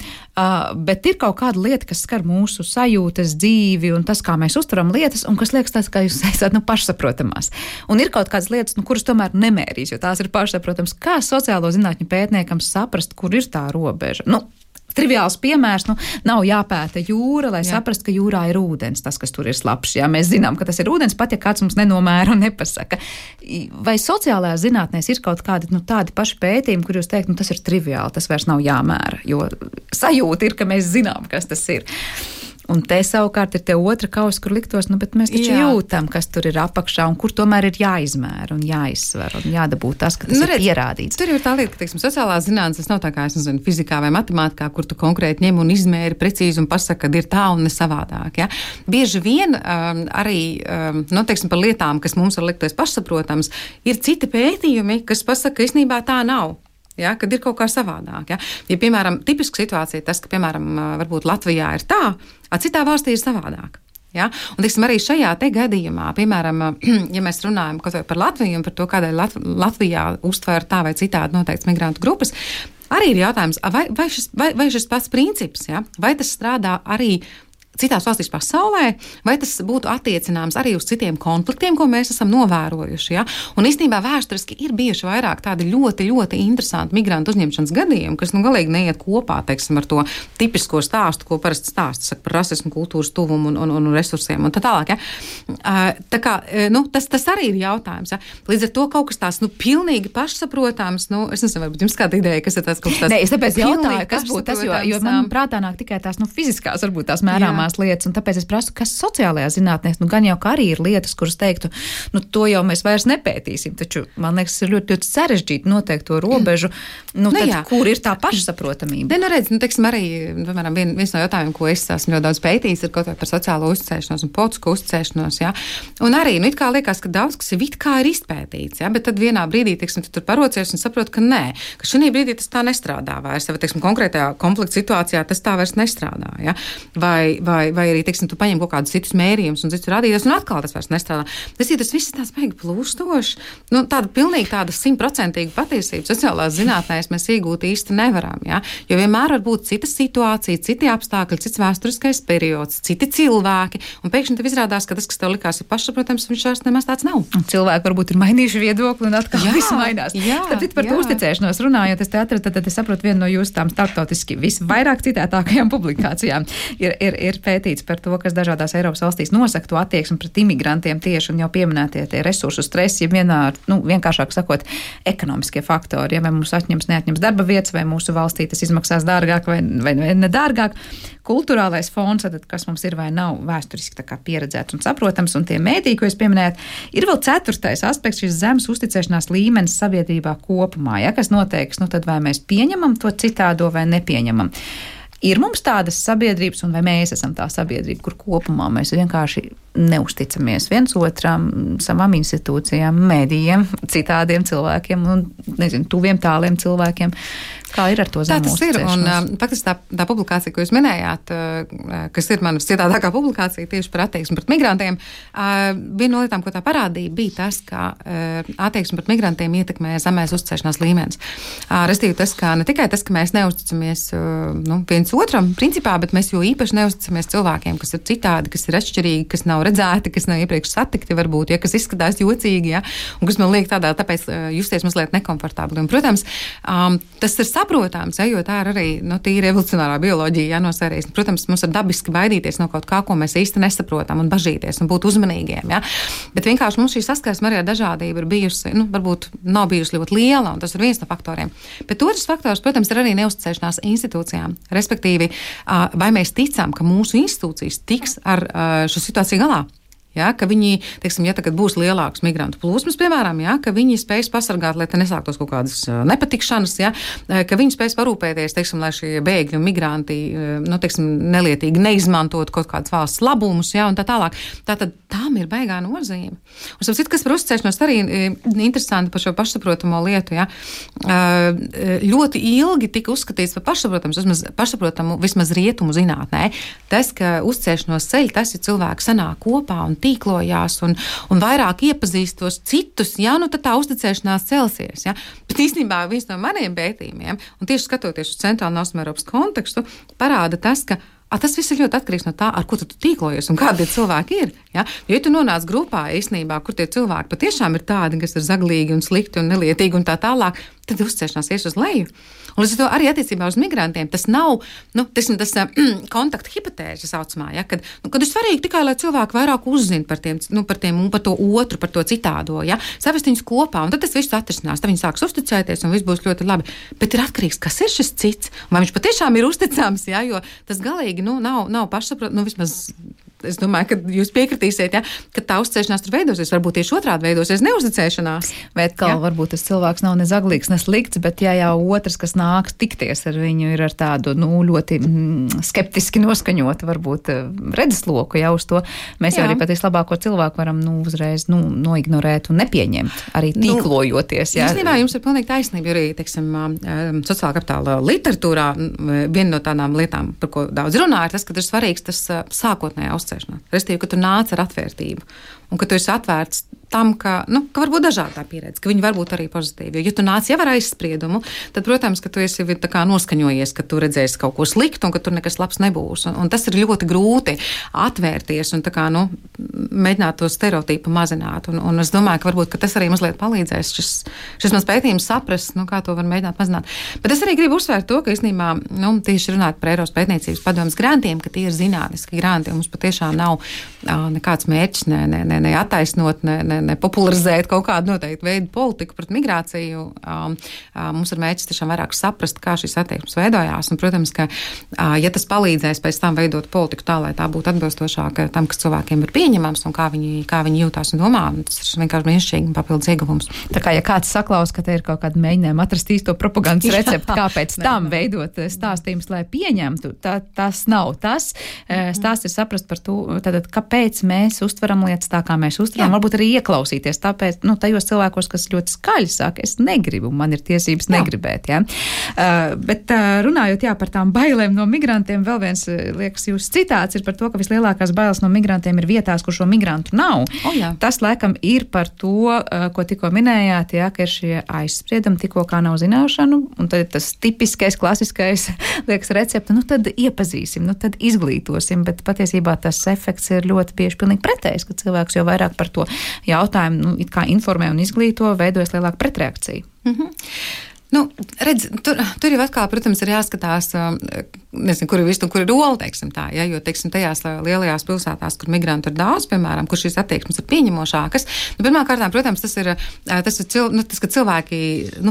bet ir kaut kāda lieta, kas skar mūsu sajūtas, dzīvi un tas, kā mēs uztveram lietas, un kas liekas tās, kā jūs teicāt, pašsaprotamās. Un ir kaut kādas lietas, kuras tomēr nemērīs, jo tās ir pašsaprotams. Kā sociālo zinātņu pētniekam saprast, kur ir tā robeža? Triviāls piemērs, nav jāpēta jūra, lai saprastu, ka jūrā ir ūdens, tas, kas tur ir slapjš. Jā, mēs zinām, ka tas ir ūdens, pat ja kāds mums nenomēra un nepasaka. Vai sociālajā zinātnēs ir kaut kādi tādi paši pētījumi, kur jūs teikt, tas ir triviāli, tas vairs nav jāmēra, jo sajūta ir, ka mēs zinām, kas tas ir. Un te savukārt ir te otra kausa, kur liktos, bet mēs taču jūtam, kas tur ir apakšā un kur tomēr ir jāizmēra un jāizsver un jādabūt tas, ka tas ir pierādīts. Tur ir tā lieta, ka, teiksim, sociālā zinātnes, tas nav tā kā, fizikā vai matemātikā, kur tu konkrēti ņem un izmēri precīzi un pasaka, ka ir tā un ne savādāk. Ja? Bieži vien arī, teiksim, par lietām, kas mums var likties pašsaprotams, ir citi pētījumi, kas pasaka, ka īstenībā tā nav. Ja, kad ir kaut kā savādāk. Ja, piemēram, tipiska situācija tas, ka, piemēram, varbūt Latvijā ir tā, a citā valstī ir savādāk. Ja? Un, teiksim, arī šajā te gadījumā, piemēram, ja mēs runājam par Latviju un par to, kādēļ Latvijā uztver tā vai citādi noteikts migrantu grupas, arī ir jautājums, vai šis pats princips, ja? Vai tas strādā arī citās valstīs pasaulē, vai tas būtu attiecināms arī uz citiem konfliktiem, ko mēs esam novērojuši. Ja? Un īstenībā vēsturiski ir bijuši vairāk tādi ļoti, ļoti interesanti migrantu uzņemšanas gadījumi, kas galīgi neiet kopā, teiksim, ar to tipisko stāstu, ko parasti stāsta par rasismu, kultūras tuvumu un resursiem un tā tālāk. Ja? Tā kā, tas arī ir jautājums. Ja? Līdz ar to kaut kas tās, pilnīgi pašsaprotams, es nezinu, varbūt jums kāda ideja, kas ir tāds kaut kas tāds. Nē, es tāpēc jautāju, kas būtu tas, jo man prātā nāk tikai tās, fiziskās, varbūt tās mērāmās lietas, un tāpēc es prasu, kas sociālajā zinātnēs, gan jau, ka arī ir lietas, kuras teiktu, to jau mēs vairs nepētīsim, taču, man liekas, ir ļoti, ļoti sarežģīti noteikt to robežu, kur ir tā pašsaprotamība. Teiksim, arī, piemēram, viens no jautājumiem, ko es esmu ļoti daudz pētījis, ir kaut vai par sociālo uzticēšanos un politisku uzticēšanos, ja? Un arī, it kā liekas, ka daudz, kas ir izpētīts, ja? Bet tad vienā brīdī, teiksim, tu tur parocies un saproti, ka nē, ka šī brīdī tas tā nestrādā vairs, vai, teiksim, konkrētajā konflikta situācijā tas tā vairs nestrādā, ja? Vai arī, teiksim, tu paņem kaut kādus citus mērījumus un citus rādītājus, un atkal tas vairs nestrādā. Tas viss ir tāds baigi plūstoši. Tāda pilnīgi tāda 100% patiesība sociālās zinātnēs mēs iegūt īsti nevaram, ja? Jo vienmēr var būt cita situācija, citi apstākļi, cits vēsturiskais periods, citi cilvēki, un pēkšņi tev izrādās, ka tas, kas tev likās ir pašsaprotams, viņš vairs nemaz tāds nav. Un cilvēki varbūt ir mainījuši viedokli un atkal viss mainās. Tāpēc par to uzticēšanos runājot, es te atradu, tad es saprotu vienu no jūsu tām starptautiski visvairāk citētākajām publikācijām. Ir pētīts par to, kas dažādās Eiropas valstīs nosaka to attieksmi pret imigrantiem tieši un jau pieminētie tie resursu stresi, ja vienkāršāk sakot, ekonomiskie faktori, ja vai mums neatņems darba vietas, vai mūsu valstī tas izmaksās dārgāk vai nedārgāk. Kulturālais fons, tad, kas mums ir vai nav vēsturiski tā kā pieredzēts un saprotams, un tie mēdī, ko jūs pieminējat, ir vēl 4. aspekts, šis zemes uzticēšanās līmenis sabiedrībā kopumā, ja, kas noteiks, tad vai mēs pieņemam to citādo vai nepieņemam. Ir mums tādas sabiedrības, un vai mēs esam tā sabiedrība, kur kopumā mēs vienkārši neusticamies viens otram, savām institūcijām, medijiem, citādiem cilvēkiem un, tuviem tāliem cilvēkiem. Kā ir ar to zemu uzticēšanos? Tā tas ir, un faktiski tā publikācija, ko jūs minējāt, kas ir manas citātākā publikācija tieši par attieksmi pret migrantiem, viena no lietām, ko tā parādīja, bija tas, ka attieksmi pret migrantiem ietekmē zemēs uzticēšanās līmenis. Restīvi tas, ka ne tikai tas, ka mēs neusticamies viens otram principā, bet mēs jo īpaši neusticamies cilvēkiem, kas ir citādi, kas ir atšķirīgi, kas nav redzēti, kas nav iepriekš satikti varbūt, ja, kas izskatās jocīgi, ja, un kas man liek tāpēc justies mazliet nekomfortabli. Un, protams, tas ir saprotams, jo tā ir arī tīra evolucionārā bioloģija, no sērijas. Protams, mums ir dabiski baidīties no kaut kā, ko mēs īsti nesaprotam un bažīties un būt uzmanīgiem. Ja? Bet vienkārši mums šī saskarsme arī ar dažādību ir bijusi, varbūt nav bijusi ļoti liela, un tas ir viens no faktoriem. Bet otrs faktors, protams, ir arī neuzticēšanās institūcijām. Respektīvi, vai mēs ticam, ka mūsu institūcijas tiks ar šo situāciju galā? Ja, ka viņi, teiksim, ja tagad būs lielāks migrantu plūsmas, piemēram, ja, ka viņi spēs pasargāt, lai te nesāktos kaut kādas nepatikšanas, ja, ka viņi spēs parūpēties, teiksim, lai šie bēgļi un migranti, teiksim, nelietīgi neizmantot kaut kādas valsts labumus, ja, un tā tālāk. Tātad tām ir baigā nozīme. Un sapratu, kas par uzticēšanos arī interesanti par šo pašsaprotamo lietu, ja. Ļoti ilgi tika uzskatīts par pašsaprotamu vismaz rietumu zinātnē. Tas, ka uzticēšanos ceļ, tas ir cilvēki sanāk kopā un tīklojās un vairāk iepazīst tos citus, ja, tad tā uzticēšanās celsies. Ja. Bet īstenībā viens no maniem pētījumiem, un tieši skatoties uz Centrālu un Austrumēropas kontekstu, parāda tas, ka tas viss ir ļoti atkarīgs no tā, ar ko tu tīklojies un kādi cilvēki ir. Ja? Jo, ja tu nonāc grupā īstenībā, kur tie cilvēki patiešām ir tādi, kas ir zaglīgi un slikti un nelietīgi un tā tālāk, tad uzticēšanās ies uz leju. Un līdz ar to arī attiecībā uz migrantiem tas nav, tas kontakta hipotēze saucamā, ja? Kad ir svarīgi tikai, lai cilvēki vairāk uzzina par tiem un par to otru, par to citādo, ja? Savest viņus kopā, un tad tas viss atrisinās, tad viņi sāks uzticēties un viss būs ļoti labi. Bet ir atkarīgs, kas ir šis cits, un vai viņš patiešām ir uzticams, ja? Jo tas galīgi nav pašsaprot, vismaz es domāju, ka jūs piekritīsiet, ja, ka tā uzticēšanās tur veidosies, varbūt tieši otrādi veidosies neuzticēšanās. Vai atkal varbūt tas cilvēks nav ne zaglīgs, ne slikts, bet ja jau otrs, kas nāks tikties ar viņu, ir ar tādu ļoti skeptiski noskaņotu, varbūt redzesloku jau uz to, mēs jau arī pat vislabāko cilvēku varam uzreiz noignorēt un nepieņemt, arī tīklojoties. Īstenībā jums ir pilnīgi taisnība, jo arī, teiksim, sociālā kapitāla literatūrā viena no tādām lietām, par ko daudz runā, ir tas, ka ir svarīgs tas sākotnējā uzticēšanās. Restīvi, ka tu nāc ar atvērtību un ka tu esi atvērts tam, ka var būt dažādā pieredze, ka viņi var būt arī pozitīvi. Jo, ja tu nāc jau ar aizspriedumu, tad, protams, ka tu esi tā kā noskaņojies, ka tu redzēsi kaut ko sliktu un ka tur nekas labs nebūs. Un tas ir ļoti grūti atvērties un tā kā, mēģināt to stereotipu mazināt. Un es domāju, ka varbūt ka tas arī mazliet palīdzēs šis mans pētījums saprast, kā to var mēģināt mazināt. Bet es arī gribu uzsvērt to, ka īstenībā, tieši runāt par Eiropas pētniecības padomes grantiem, ka tie ir zinātniski granti, un mums patiešām nav nekāds mērķis ne attaisnot, ne popularizēt kaut kādu noteiktu veidu politiku pret migrāciju. Mums ir mērķis tiešām vairāk saprast, kā šīs attieksmes veidojās. Un, protams, ka, ja tas palīdzēs pēc tam veidot politiku tā, lai tā būtu atbilstošāka tam, kas cilvēkiem ir pieņemams un kā viņi jūtās un domā, tas ir vienkārši brīnišķīgi un papildus ieguvums. Tā kā, ja kāds saklaus, ka te ir kaut kāda mēģinājuma atrast īsto propagandas recepti, kāpēc tam veidot stāstījumus, lai pieņemtu, tas nav tas. Stāsts ir saprast par to, tātad, kāpēc mēs uztveram lietas tā, kā mēs uztveram, varbūt arī ieklausīties, tāpēc, tajos cilvēkos, kas ļoti skaļi saka, es negribu, man ir tiesības negribēt, ja. Bet runājot, par tām bailēm no migrantiem, vēl viens, liekas, jūs citāts ir par to, ka vislielākās bailes no migrantiem ir vietās, kur šo migrantu nav. Tas, laikam, ir par to, ko tikko minējāt, ka ir šie aizspriedumi, tikko kā nav zināšanu, un tad tas tipiskais, klasiskais, liekas, recepte, tad iepazīsim, tad izglītosim, bet patiesībā tas efekts ir ļoti bieži pilnīgi pretējs, ka cilvēks jau vairāk par to jautājumu, it kā informē un izglīto, veidojas lielāka pretreakcija. Redz, tur jau atkal, protams, ir jāskatās, nezinu, kur ir viss un kur ir ola, teiksim tā, ja, jo, teiksim, tajās lielajās pilsētās, kur migrantu ir daudz, piemēram, kur šīs attieksmes ir pieņemošākas. Pirmkārt, protams, tas ir, ka cilvēki,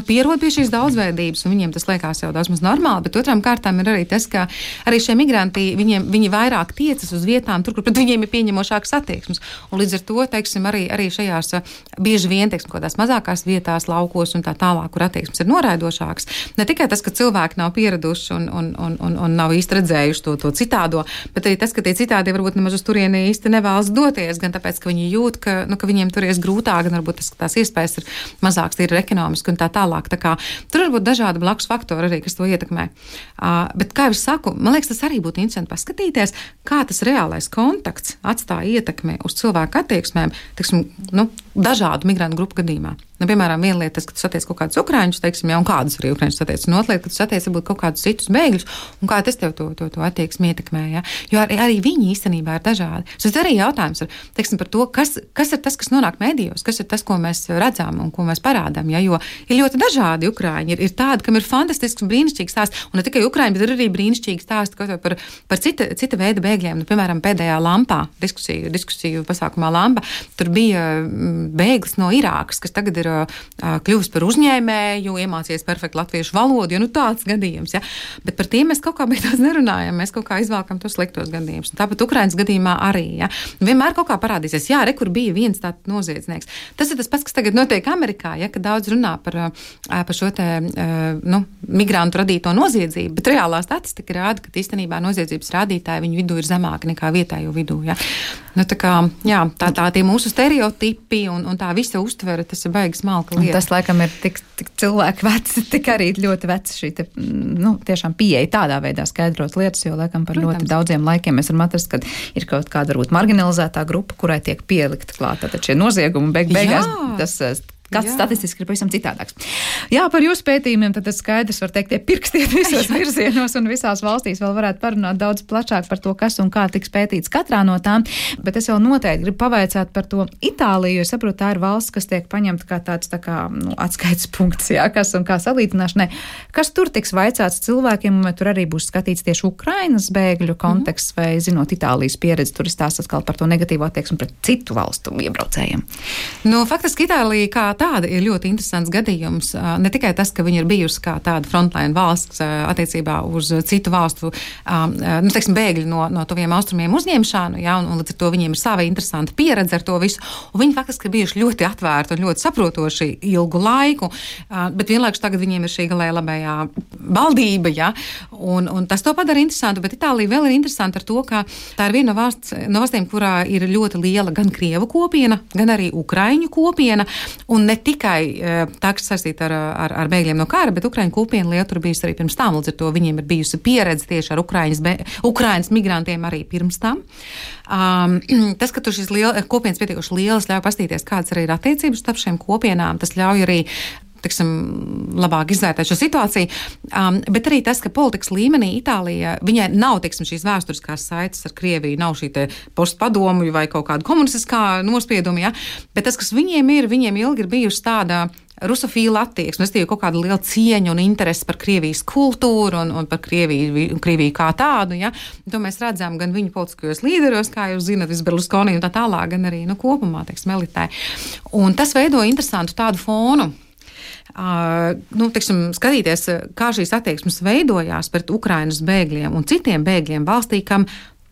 pierod pie šīs daudzveidības, un viņiem tas liekas jau daudz maz normāli, bet otrām kārtām ir arī tas, ka arī šie migranti, viņi vairāk tiecas uz vietām, tur, kur pret viņiem ir pieņemošākas attieksmes. Un līdz ar to, teiksim, arī šajās bieži vien, teiksim, kādās mazākās vietās, laukos un tā tālāk, kur attieksmes ir noraidošāks. Ne tikai tas, ka cilvēki nav pieraduši un nav īsti redzējuši to citādo, bet arī tas, ka tie citādi varbūt nemaz uz turieni īsti nevēlas doties, gan tāpēc, ka viņi jūt, ka viņiem tur ies grūtāk, gan varbūt tās iespējas ir mazāks, ir ekonomiski un tā tālāk. Tā kā tur var būt dažādi blakus faktori arī, kas to ietekmē. Bet, kā jau es saku, man liekas, tas arī būtu interesanti paskatīties, kā tas reālais kontakts atstāja ietekmi uz cilvēku attieksmēm, teiksim, dažādu migrantu grupu gadījumā. Nu, piemēram, viena lieta, tas, ka tu satiec kaut kādus ukraiņus, teiksim, un kādus arī ukraiņus satiec, un otra lieta, ka tu satiec varbūt kaut kādus citus bēgļus, un kā tas tev to attieksmi ietekmē, ja? Jo arī viņi īstenībā ir dažādi. Tas arī jautājums ir, teiksim, par to, kas ir tas, kas nonāk medijos, kas ir tas, ko mēs redzam un ko mēs parādām, ja? Jo ir ļoti dažādi ukraiņi, ir tādi, kam ir fantastisks un brīnišķīgs stāsts, un ne tikai ukraiņi, bet ir arī brīnišķīgi stāsti par cita veida bēgļiem. Nu, piemēram, pēdējā lampā, diskusiju pasākumā lampa, tur bija bēglis no Irākas, kas tagad ir kļuvis par uzņēmēju, iemācījies perfektu latviešu valodu, jo nu tāds gadījums, ja. Bet par tiem mēs kaut kā beigās nerunājam, mēs kaut kā izvēlkam tos sliktos gadījumus. Un tāpat Ukrainas gadījumā arī, ja. Vienmēr kaut kā parādīsies, jā, kur bija viens tāds noziedznieks. Tas ir tas pats, kas tagad notiek Amerikā, ja, kad daudz runā par šo te, migrantu radīto noziedzību, bet reālā statistika rāda, ka īstenībā noziedzības rādītāji viņu vidū ir zemāki nekā vietējo vidū, ja. Nu, tā kā, jā, tā tie mūsu stereotipi un tā visa uztvere, tas ir baigi smalka lieta. Un tas, laikam, ir tik cilvēki veci, tik arī ļoti veci šī te, tiešām pieeja tādā veidā skaidrot lietas, jo, laikam, par ļoti daudziem laikiem mēs varam atrast, kad ir kaut kāda varbūt marginalizētā grupa, kurai tiek pielikt klāt. Tātad šie noziegumi beigās tas kāds statistiski ir pavisam citādāks. Jā, par jūsu pētījumiem, tad tas skaidrs var teikt, tie pirkstiet visos virzienos un visās valstīs vēl varētu parunāt daudz plašāk par to, kas un kā tiks pētīts katrā no tām, bet es vēl noteikti gribu pavaicāt par to Itāliju, jo es saprotu, tā ir valsts, kas tiek paņemta kā tāds atskaites punkts, jā, kas un kā salīdzināšanai. Kas tur tiks vaicāts cilvēkiem, vai tur arī būs skatīts tieši Ukrainas bēgļu konteksts, vai zinot Itālijas pieredzi, tur ir stāsts atkal par to negatīvo attieksmi pret citu valstu iebraucējiem? Nu, faktiski Itālija kā tāda ir ļoti interesants gadījums. Ne tikai tas, ka viņi ir bijusi kā tāda frontline valsts attiecībā uz citu valstu, teiksim, bēgļu no tuviem austrumiem uzņemšanu, ja, un līdz ar to viņiem ir sava interesanta pieredze ar to visu, un viņi faktiski ir bijuši ļoti atvērti un ļoti saprotoši ilgu laiku, bet vienlaikus tagad viņiem ir šī galēji labējā valdība, ja, un tas to padara interesantu, bet Itālija vēl ir interesanta ar to, ka tā ir viena no valstīm, kurā ir ļoti liela gan krievu kopiena, gan arī ukraiņu kopiena, un ne tikai tā, kas saistīta ar bēgļiem no kara, bet Ukraiņu kopiena lieta tur bijusi arī pirms tam, līdz ar to viņiem ir bijusi pieredze tieši ar Ukrainas migrantiem arī pirms tam. Tas, ka tur šīs kopienas pietiekoši lielas, ļauj pastīties, kādas arī ir attiecības starp šiem kopienām, tas ļauj arī labāk izvērtēt šo situāciju, bet arī tas, ka politikas līmenī Itālija, viņai nav, šīs vēsturiskās saites ar Krieviju, nav šī te postpadomju vai kaut kāda komunistiskā nospieduma, ja, bet tas, kas viņiem ilgi ir bijusi tāda rusofīla attieksme, es kaut kāda liela cieņa un interese par Krievijas kultūru un par Krieviju kā tādu, ja, to mēs redzam gan viņu politiskajos līderos, kā jūs zinat, Berlusconi un tā tālāk, gan arī, kopumā, elitē. Un tas veido interesantu tādu fonu. Skatīties, kā šīs attieksmes veidojās pret Ukrainas bēgļiem un citiem bēgļiem valstī, kam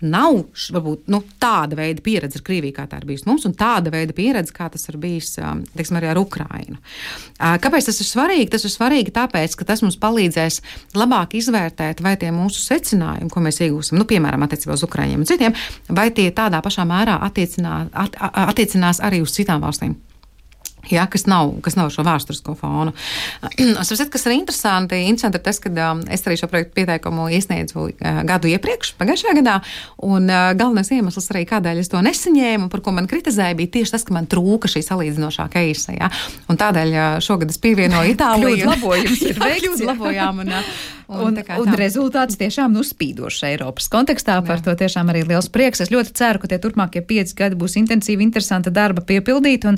nav varbūt tāda veida pieredze ar Krieviju, kā tā ir bijusi mums, un tāda veida pieredze, kā tas ir bijis arī ar Ukrainu. Kāpēc tas ir svarīgi? Tas ir svarīgi tāpēc, ka tas mums palīdzēs labāk izvērtēt, vai tie mūsu secinājumi, ko mēs iegūsim, piemēram, attiecībā uz Ukraiņiem un citiem, vai tie tādā pašā mērā attiecinās arī uz citām valstīm. Jā, kas nav šo vēsturisko fonu. Kas ir interesanti ir tas, ka es arī šo projektu pieteikumu iesniedzu gadu iepriekš, pagājušajā gadā, un galvenais iemesls arī, kādēļ es to nesaņēmu, par ko man kritizēja, bija tieši tas, ka man trūka šī salīdzinošā keisa. Ja? Un tādēļ šogad es pievienoju Itāliju. Kļūdu labojums ir veikts. Kļūdu labojām. Un rezultāts tiešām spīdošs Eiropas kontekstā, par to tiešām arī liels prieks. Es ļoti ceru, ka tie turpmākie 5 gadi būs intensīvi, interesanta darba piepildīt, un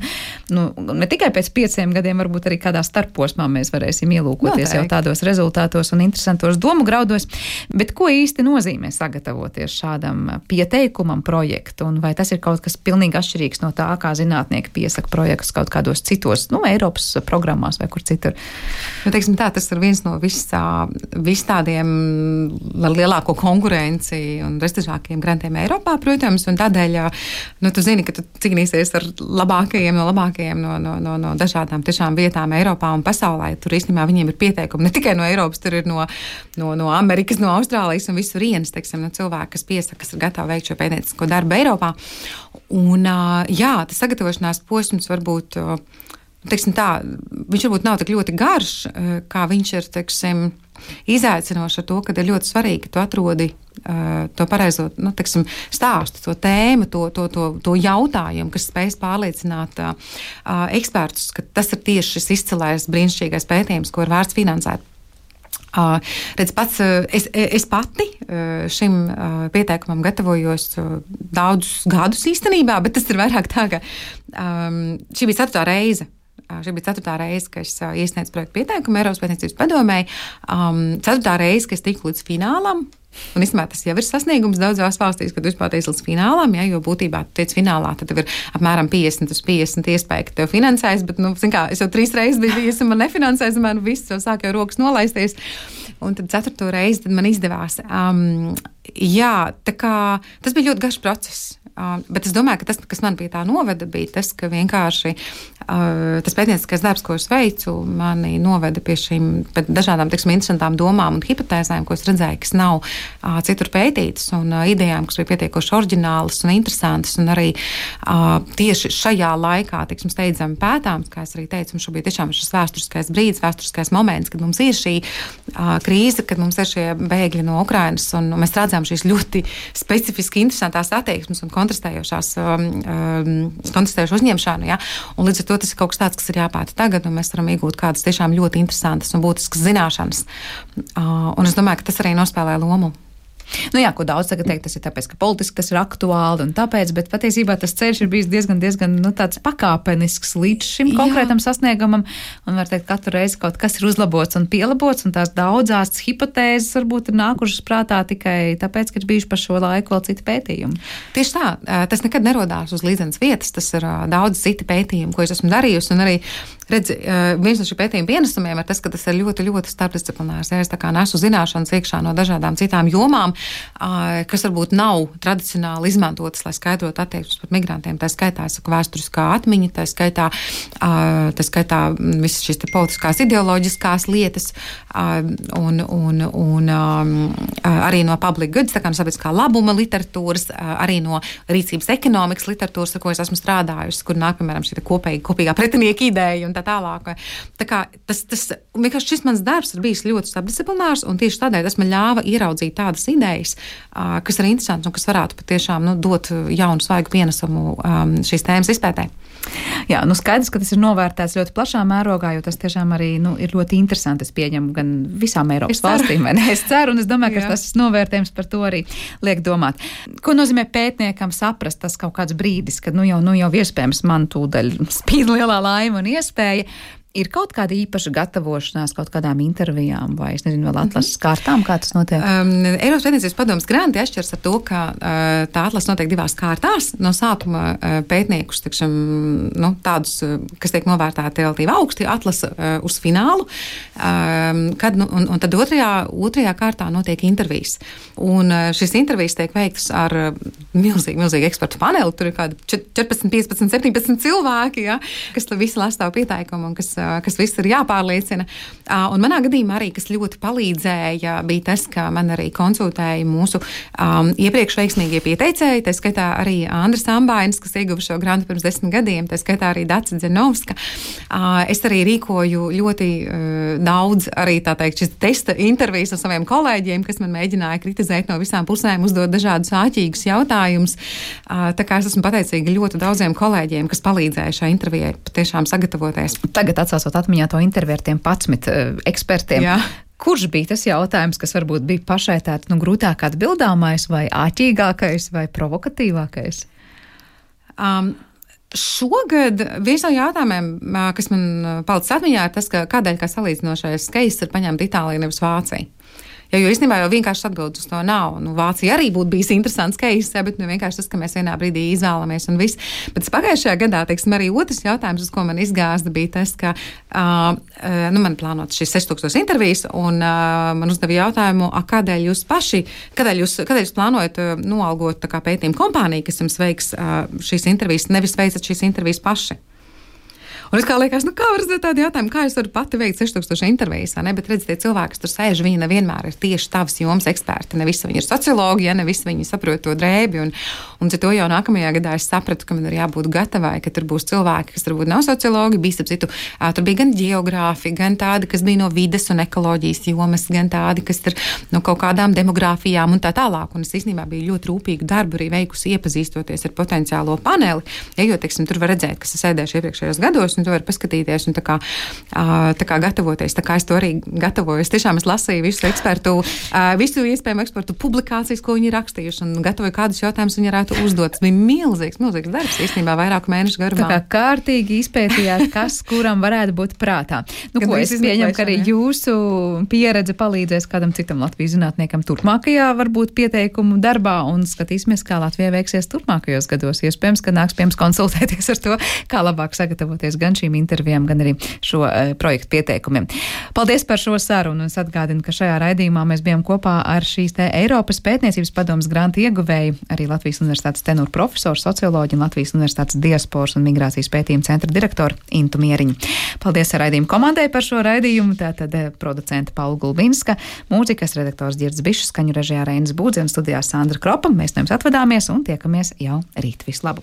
ne tikai pēc 5 gadiem, varbūt arī kādā starposmā mēs varēsim ielūkoties jau tādos rezultātos un interesantos domu graudos. Bet ko īsti nozīmē sagatavoties šādam pieteikumam projektu, un vai tas ir kaut kas pilnīgi atšķirīgs no tā, kā zinātnieki piesaka projektus kaut kādos citos, Eiropas programmās vai kur citur? Tas ir viens no vis tādiem ar lielāko konkurenci un prestižākiem grantiem Eiropā, protams, un tādēļ, tu zini, ka tu cīnīsies ar labākajiem no dažādām tiešām vietām Eiropā un pasaulē. Tur īstenībā viņiem ir pieteikumi ne tikai no Eiropas, tur ir no Amerikas, no Austrālijas un visur vienas, cilvēki, kas piesaka, kas ir gatavi veikt šo pētniecisko darbu Eiropā. Un, tas sagatavošanās posms varbūt teiksim tā, viņš varbūt nav tik ļoti garš, kā viņš ir, teiksim, izaicinoši ar to, ka ir ļoti svarīgi, ka tu atrodi to pareizo, teiksim, stāstu, to tēmu, to jautājumu, kas spējas pārliecināt ekspertus, ka tas ir tieši šis izcilais brīnišķīgais pētījums, ko ir vērts finansēt. Redz, pats, es pati šim pieteikumam gatavojos daudzus gadus īstenībā, bet tas ir vairāk tā, ka šī bija 4. reize. Šī bija 4. reize, kad es iesniedzu projektu pieteikumu Eiropas pētniecības padomei. 4. reize, kad es tiku līdz finālam. Un īstenībā tas jau ir sasniegums daudzās valstīs, kad vispār tiec līdz finālam, ja, jo būtībā tu tiec finālā, tad tev ir apmēram 50/50 iespēja, ka tev finansēs, bet, zin kā, es jau 3 reizes biju bijis un man nefinansēs, un man viss jau sāk jau rokas nolaisties. Un tad 4. reizi tad man izdevās. Jā, tā kā tas bija ļoti garš process. Bet es domāju, ka tas, kas man pie tā noveda, bija tas, ka vienkārši tas pētnieciskais darbs, ko es veicu, mani noveda pie šīm dažādām, teiksim, interesantām domām un hipotēzēm, ko es redzēju, kas nav citur pētītas, un idejām, kas bija pietiekoši oriģinālas un interesantas, un arī tieši šajā laikā, teiksim, steidzami pētāms, kā es arī teicu, mums šobrīd tiešām ir šis vēsturiskais brīdis, vēsturiskais moments, kad mums ir šī krīze, kad mums ir šie bēgļi no Ukrainas, un mēs redzam šīs ļoti specifiski interesantās attieksmes un kontrastējošu uzņemšanu, ja? Un līdz ar to tas ir kaut kas tāds, kas ir jāpēta tagad, un mēs varam iegūt kādas tiešām ļoti interesantas un būtiskas zināšanas. Un es domāju, ka tas arī nospēlē lomu. Jā, ko daudz tagad teikt, tas ir tāpēc, ka politiski tas ir aktuāli un tāpēc, bet patiesībā tas ceļš ir bijis diezgan tāds pakāpenisks līdz šim konkrētam sasniegumam, un var teikt, katru reizi kaut kas ir uzlabots un pielabots, un tās daudzās hipotēzes varbūt ir nākušas prātā tikai tāpēc, ka ir bijuši par šo laiku vēl citi pētījumi. Tieši tā, tas nekad nerodās uz līdzenas vietas, tas ir daudz citi pētījumi, ko es esmu darījusi, un arī redzi, viens no šī pētījuma pienesumiem ir tas, ka tas ir ļoti, ļoti starpdisciplinārs. Ja es tā kā nesu zināšanas iekšā no dažādām citām jomām, kas varbūt nav tradicionāli izmantotas, lai skaidrotu attieksmes pret migrantiem. Tā skaitā, es saku, vēsturiskā atmiņa, tā skaitā visas šīs politiskās ideoloģiskās lietas, un arī no public goods, tā kā no sabiedriskā labuma literatūras, arī no rīcības ekonomikas literatūras, ar ko es esmu strādājusi, kur nāk, piemēram, šī kopīgā pretinieka ideja un tā tālāk. Tā kā vienkārši šis mans darbs ir bijis ļoti starpdisciplinārs, un tieši tādēļ tas man ļāva ieraudzīt tādas idejas, kas ir interesants un kas varētu patiešām dot jaunu svaigu pienesumu šīs tēmas izpētē. Jā, skaidrs, ka tas ir novērtēts ļoti plašā mērogā, jo tas tiešām arī ir ļoti interesanti. Es pieņemu gan visām Eiropas valstīm, vai ne? Es ceru, un es domāju, ka tas novērtējums par to arī liek domāt. Ko nozīmē pētniekam saprast tas kaut kāds brīdis, kad jau iespējams man tūdaļ spīd lielā laima un iespēja? Ir kaut kāda īpaša gatavošanās kaut kādām intervijām vai, es nezinu, vēl atlases kārtām, kā tas notiek? Eiropas pētniecības padomes granti atšķiras ar to, ka tā atlase notiek 2 kārtās. No sākuma pētniekus, tādus, kas tiek novērtēti relatīvi augsti, atlasa uz finālu, un tad otrajā kārtā notiek intervijas. Un šīs intervijas tiek veiktas ar milzīgu ekspertu paneli, tur ir kādi 14, 15, 17 cilvēki, ja, kas visi lasa tavu pieteikumu un kas viss ir jāpārliecina. Un manā gadījumā arī, kas ļoti palīdzēja, bija tas, ka man arī konsultēja mūsu iepriekš veiksmīgie pieteicēji, tā skaitā arī Andris Ambainis, kas ieguva šo grantu pirms 10 gadiem, tā skaitā arī Dace Dzenovska. Es arī rīkoju ļoti daudz arī, tā teikt, šis testa intervijas ar saviem kolēģiem, kas man mēģināja kritizēt no visām pusēm, uzdot dažādus āķīgus jautājumus. Tā kā es esmu pateicīga ļoti daudziem kolēģiem, kas palīdzēja šai intervijai patiešām sagatavoties. Tagad atsāsot atmiņā to interviju ar tiem 11 ekspertiem. Jā. Kurš bija tas jautājums, kas varbūt bija pašai tāds grūtāk atbildāmais vai āķīgākais vai provokatīvākais? Šogad viens no jautājumiem, kas man palicis atmiņā, ir tas, ka kādēļ kā salīdzinošais skejs ir paņemta Itālija, nevis Vācija. Jo īstenībā jau vienkārši atbildes uz to nav. Vācija arī būtu bijis interesants case, bet vienkārši tas, ka mēs vienā brīdī izvēlamies un viss. Bet pagājušajā gadā, teiksim, arī otrs jautājums, uz ko man izgāzda, bija tas, ka man plānot šīs 6000 intervijas, un man uzdeva jautājumu, kādēļ jūs plānojat noalgot tā kā pētījuma kompāniju, kas jums veiks šīs intervijas, nevis veicat šīs intervijas paši. Un es kā liekas, kā var uzdot tādu jautājumu, kā es varu pati veikt 6000 intervijas, ne? Bet redz, tie cilvēki, kas tur sēž, viņi nevienmēr ir tieši tavas jomas eksperti. Ne visi viņi ir sociologi, ja ne visi viņi saprot to drēbi. Un to jau nākamajā gadā es sapratu, ka man ir jābūt gatavai, ka tur būs cilvēki, kas varbūt nav sociologi, bija starp citu, tur bija gan geogrāfi, gan tādi, kas bija no vides un ekoloģijas jomas, gan tādi, kas ir no kaut kādām demogrāfijām un tā tālāk. Un es īstenībā biju ļoti rūpīgu darbu arī veikusi iepazīstoties ar potenciālo paneli. Ja, jo, teiksim, tur var redzēt, kas ir sēdējuši iepriekšējos gados, un tu vari paskatīties un tā kā gatavoties. Tā kā es to arī gatavoju. Tiešām es lasīju visu iespējamo ekspertu publikācijas, ko viņi rakstījuši, un gatavoju kādus jautājumus viņi varētu uzdot. Tas bija milzīgs darbs, īstenībā vairāku mēnešu garumā. Tā kā kārtīgi izpētījāt, kas kuram varētu būt prātā. Ko es pieņemu, ka arī jūsu pieredze palīdzēs kādam citam Latvijas zinātniekam turpmākajā varbūt pieteikumu darbā, un skatīsimies, kā Latvijai veiksies turpmākajos gados. Iespējams, ka nāks pie mums konsultēties ar to, kā labāk sagatavoties gan šīm intervijām, gan arī šo projektu pieteikumiem. Paldies par šo sarunu, un es atgādinu, ka šajā raidījumā mēs bijām kopā ar šīs te Eiropas pētniecības padomes grantu ieguvēju, arī Latvijas Universitātes tenūru profesoru, socioloģi un Latvijas Universitātes diasporas un migrācijas pētījuma centra direktoru Intu Mieriņu. Paldies raidījuma komandai par šo raidījumu, tātad producenta Paula Gulbinska, mūzikas redaktors Ģirds Bišs, skaņu režijā Reinis Būdze un studijā Sandra Kropa. Mēs no jums atvadāmies un tiekamies jau rīt. Visu labu!